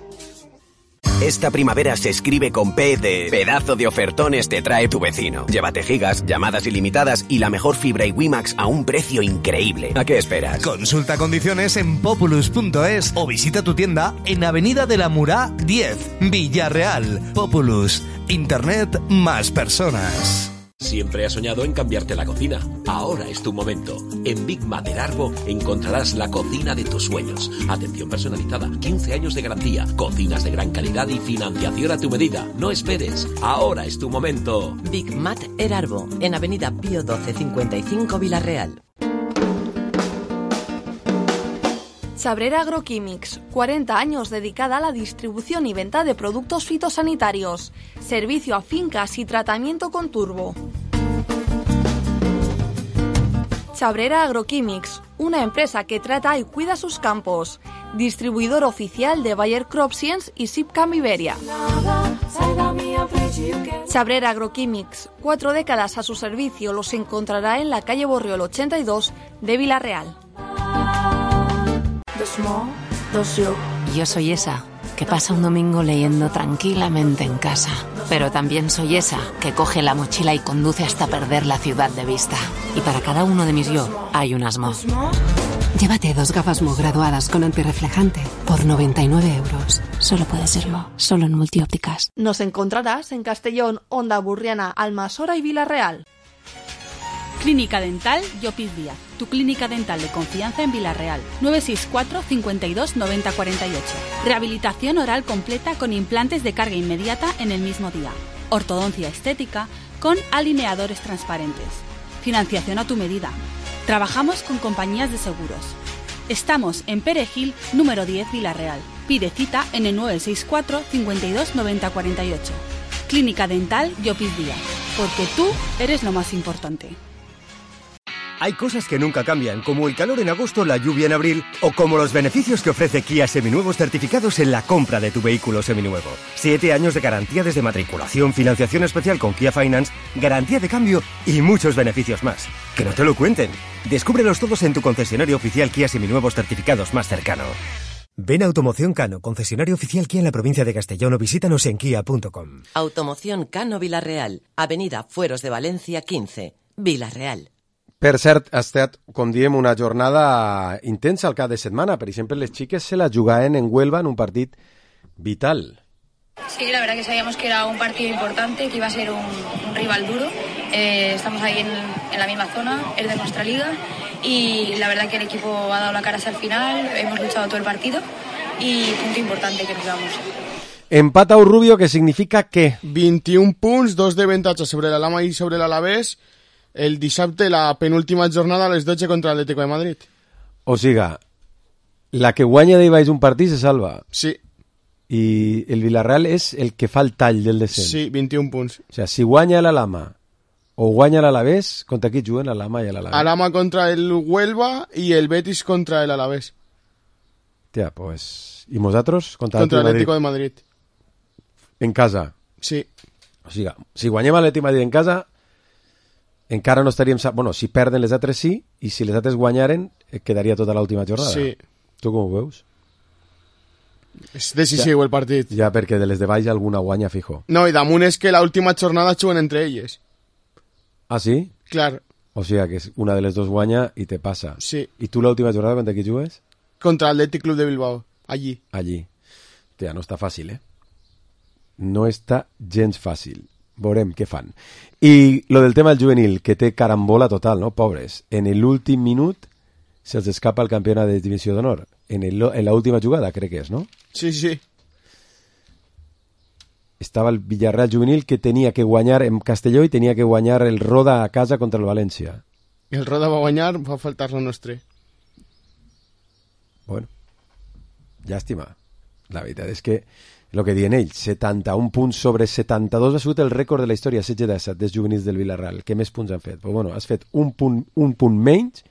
Esta primavera se escribe con P de pedazo de ofertones te trae tu vecino. Llévate gigas, llamadas ilimitadas y la mejor fibra y WiMax a un precio increíble. ¿A qué esperas? Consulta condiciones en populus.es o visita tu tienda en Avenida de la Murá 10, Villarreal. Populus, Internet más personas. Siempre has soñado en cambiarte la cocina. Ahora es tu momento. En Big Mater Arbo encontrarás la cocina de tus sueños. Atención personalizada, 15 años de garantía, cocinas de gran calidad y financiación a tu medida. No esperes. Ahora es tu momento. Big Mater Arbo, en Avenida Pío 12 55 Villarreal. Sabrera Agroquímics, 40 años dedicada a la distribución y venta de productos fitosanitarios. Servicio a fincas y tratamiento con turbo. Sabrera Agroquímics, una empresa que trata y cuida sus campos. Distribuidor oficial de Bayer CropScience y Sipcam Iberia. Sabrera Agroquímics, 4 décadas a su servicio, los encontrará en la calle Borriol 82 de Villarreal. Yo soy esa que pasa un domingo leyendo tranquilamente en casa, pero también soy esa que coge la mochila y conduce hasta perder la ciudad de vista. Y para cada uno de mis yo hay unas Mo. Llévate 2 gafas Mo graduadas con antirreflejante por 99 euros. Solo puede ser Mo, solo en Multiópticas. Nos encontrarás en Castellón, Onda Burriana, Almasora y Villarreal. Clínica Dental Llopis Díaz, tu clínica dental de confianza en Villarreal. 964 52 90 48. Rehabilitación oral completa con implantes de carga inmediata en el mismo día. Ortodoncia estética con alineadores transparentes. Financiación a tu medida. Trabajamos con compañías de seguros. Estamos en Perejil, número 10, Villarreal. Pide cita en el 964 52 90 48. Clínica Dental Llopis Díaz, porque tú eres lo más importante. Hay cosas que nunca cambian, como el calor en agosto, la lluvia en abril, o como los beneficios que ofrece Kia Seminuevos certificados en la compra de tu vehículo seminuevo. 7 años de garantía desde matriculación, financiación especial con Kia Finance, garantía de cambio y muchos beneficios más. ¡Que no te lo cuenten! Descúbrelos todos en tu concesionario oficial Kia Seminuevos certificados más cercano. Ven a Automoción Cano, concesionario oficial Kia en la provincia de Castellón, o visítanos en kia.com. Automoción Cano Villarreal, Avenida Fueros de Valencia 15, Villarreal. Per cert, ha estat, com diem, una jornada intensa al cap de setmana. Per exemple, les xiques se la jugaven en Huelva en un partit vital. Sí, la verdad que sabíamos que era un partido importante, que iba a ser un rival duro. Estamos ahí en la misma zona, es de nuestra liga, y la verdad que el equipo ha dado la cara hasta el final, hemos luchado todo el partido y punto importante que nos damos. Empat a Rubio, que significa que 21 punts, 2 de avantatge sobre l'Alhama i sobre l'Alavés. El dissabte, la penúltima jornada a les 12 contra l'Atlético de Madrid. O siga, la que guanya d'ahir baix un partit se salva. Sí. I el Villarreal és el que fa el tall del descens. Sí, 21 punts. O sigui, si guanya l'Alhama o guanya l'Alavés, contra qui juguen l'Alhama i l'Alavés? Alhama contra el Huelva i el Betis contra el Alavés. Tia, pues... I nosaltres? Contra l'Atlético de Madrid. En casa? Sí. O sigui, si guanyem l'Atlético de Madrid en casa, encara no estaríem... Bueno, si perden les altres sí, i si les altres guanyaren, quedaria tota l'última jornada. Sí. Tu com ho veus? És decisiu el partit. Ja, perquè de les de baix alguna guanya fijo. No, i damunt és que l'última jornada juguen entre elles. Ah, sí? Clar. O sigui que una de les dos guanya i te passa. Sí. I tu l'última jornada contra qui jugues? Contra el Athletic Club de Bilbao. Allí. Tia, no està fàcil, No està gens fàcil. Veurem què fan. I lo del tema del juvenil, que té carambola total, no? Pobres. En l'últim minut se'ls escapa el campionat de divisió d'honor. En la última jugada, crec que és, no? Sí, sí. Estava el Villarreal juvenil que tenia que guanyar en Castelló i tenia que guanyar el Roda a casa contra el València. El Roda va guanyar, va faltar lo nostre. Bueno, llàstima. La veritat és que el que diuen ells, 71 punts sobre 72 ha sigut el rècord de la història, 16 dels juvenils del Villarreal. Què més punts han fet? Però bueno, has fet un punt menys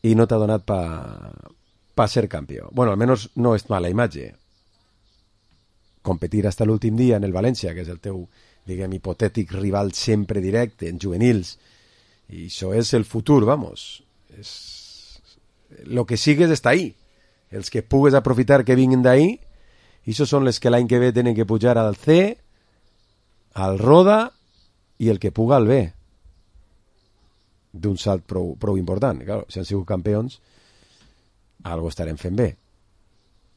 i no t'ha donat pa ser campió. Bueno, almenys no és mala imatge. Competir hasta l'últim dia en el València, que és el teu, diguem, hipotètic rival sempre directe en juvenils. I això és el futur, vamos. Lo que sigues està ahí. Els que pugues aprofitar que vinguin d'ahí, i això són les que l'any que ve tenen que pujar al C, al Roda i el que puga al B. D'un salt prou important. Claro, si han sigut campions, algo estarem fent bé.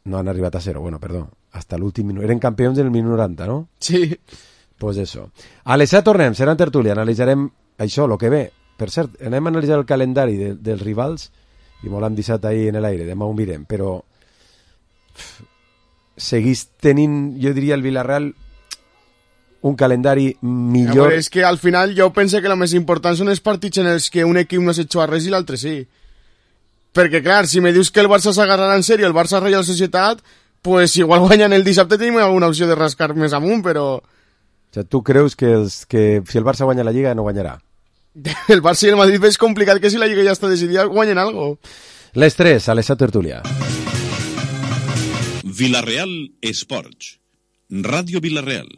No han arribat a 0, bueno, perdó, hasta l'últim minut. Eren campions en el minut 90, no? Sí. Pues eso. A les 7 tornem, serà en tertúlia, analitzarem això, lo que ve. Per cert, anem a analitzar el calendari dels rivals, i molt hem deixat ahí en l'aire, demà ho mirem, però seguís tenint, jo diria, el Villarreal un calendari millor. És que al final jo penso que el més important són els partits en els que un equip no s'ha a res i l'altre sí. Perquè, clar, si me dius que el Barça s'agarrarà en sèrio, el Barça Reial Societat, pues igual guanyen el dissabte tenim alguna opció de rascar més amunt, però... O sigui, tu creus que si el Barça guanya la Lliga no guanyarà? El Barça i el Madrid és complicat que si la Lliga ja està decidida guanyen algo. Les 3, a les 7 tertúlia. Villarreal Esports. Ràdio Villarreal.